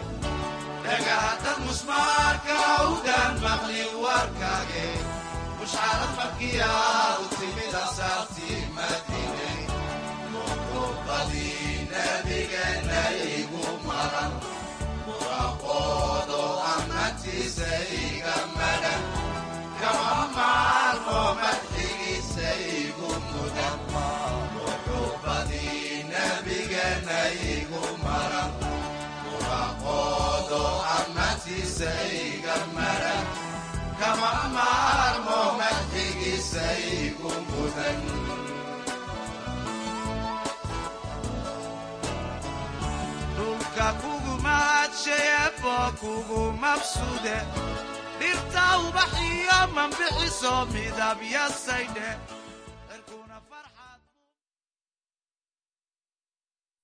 Dhagahadad musmaarka awdaan maqli warkaage, mushcarad markii aad u timid asaartii Madiine, muxubbadii nabigeena igu maran, muraqoodo amartiisa iga maran, kama maarmo madxigiisa igu mudan. Muxubbadii nabigeena igu maran, muraqoodo amartiisa iga maran, kama maarmo madxigiisa igu mudan. Dhulka kugu mahad Madshayeebo kugu mabsuude, dhirta ubaxiyo manbixiso midabyasaydhe.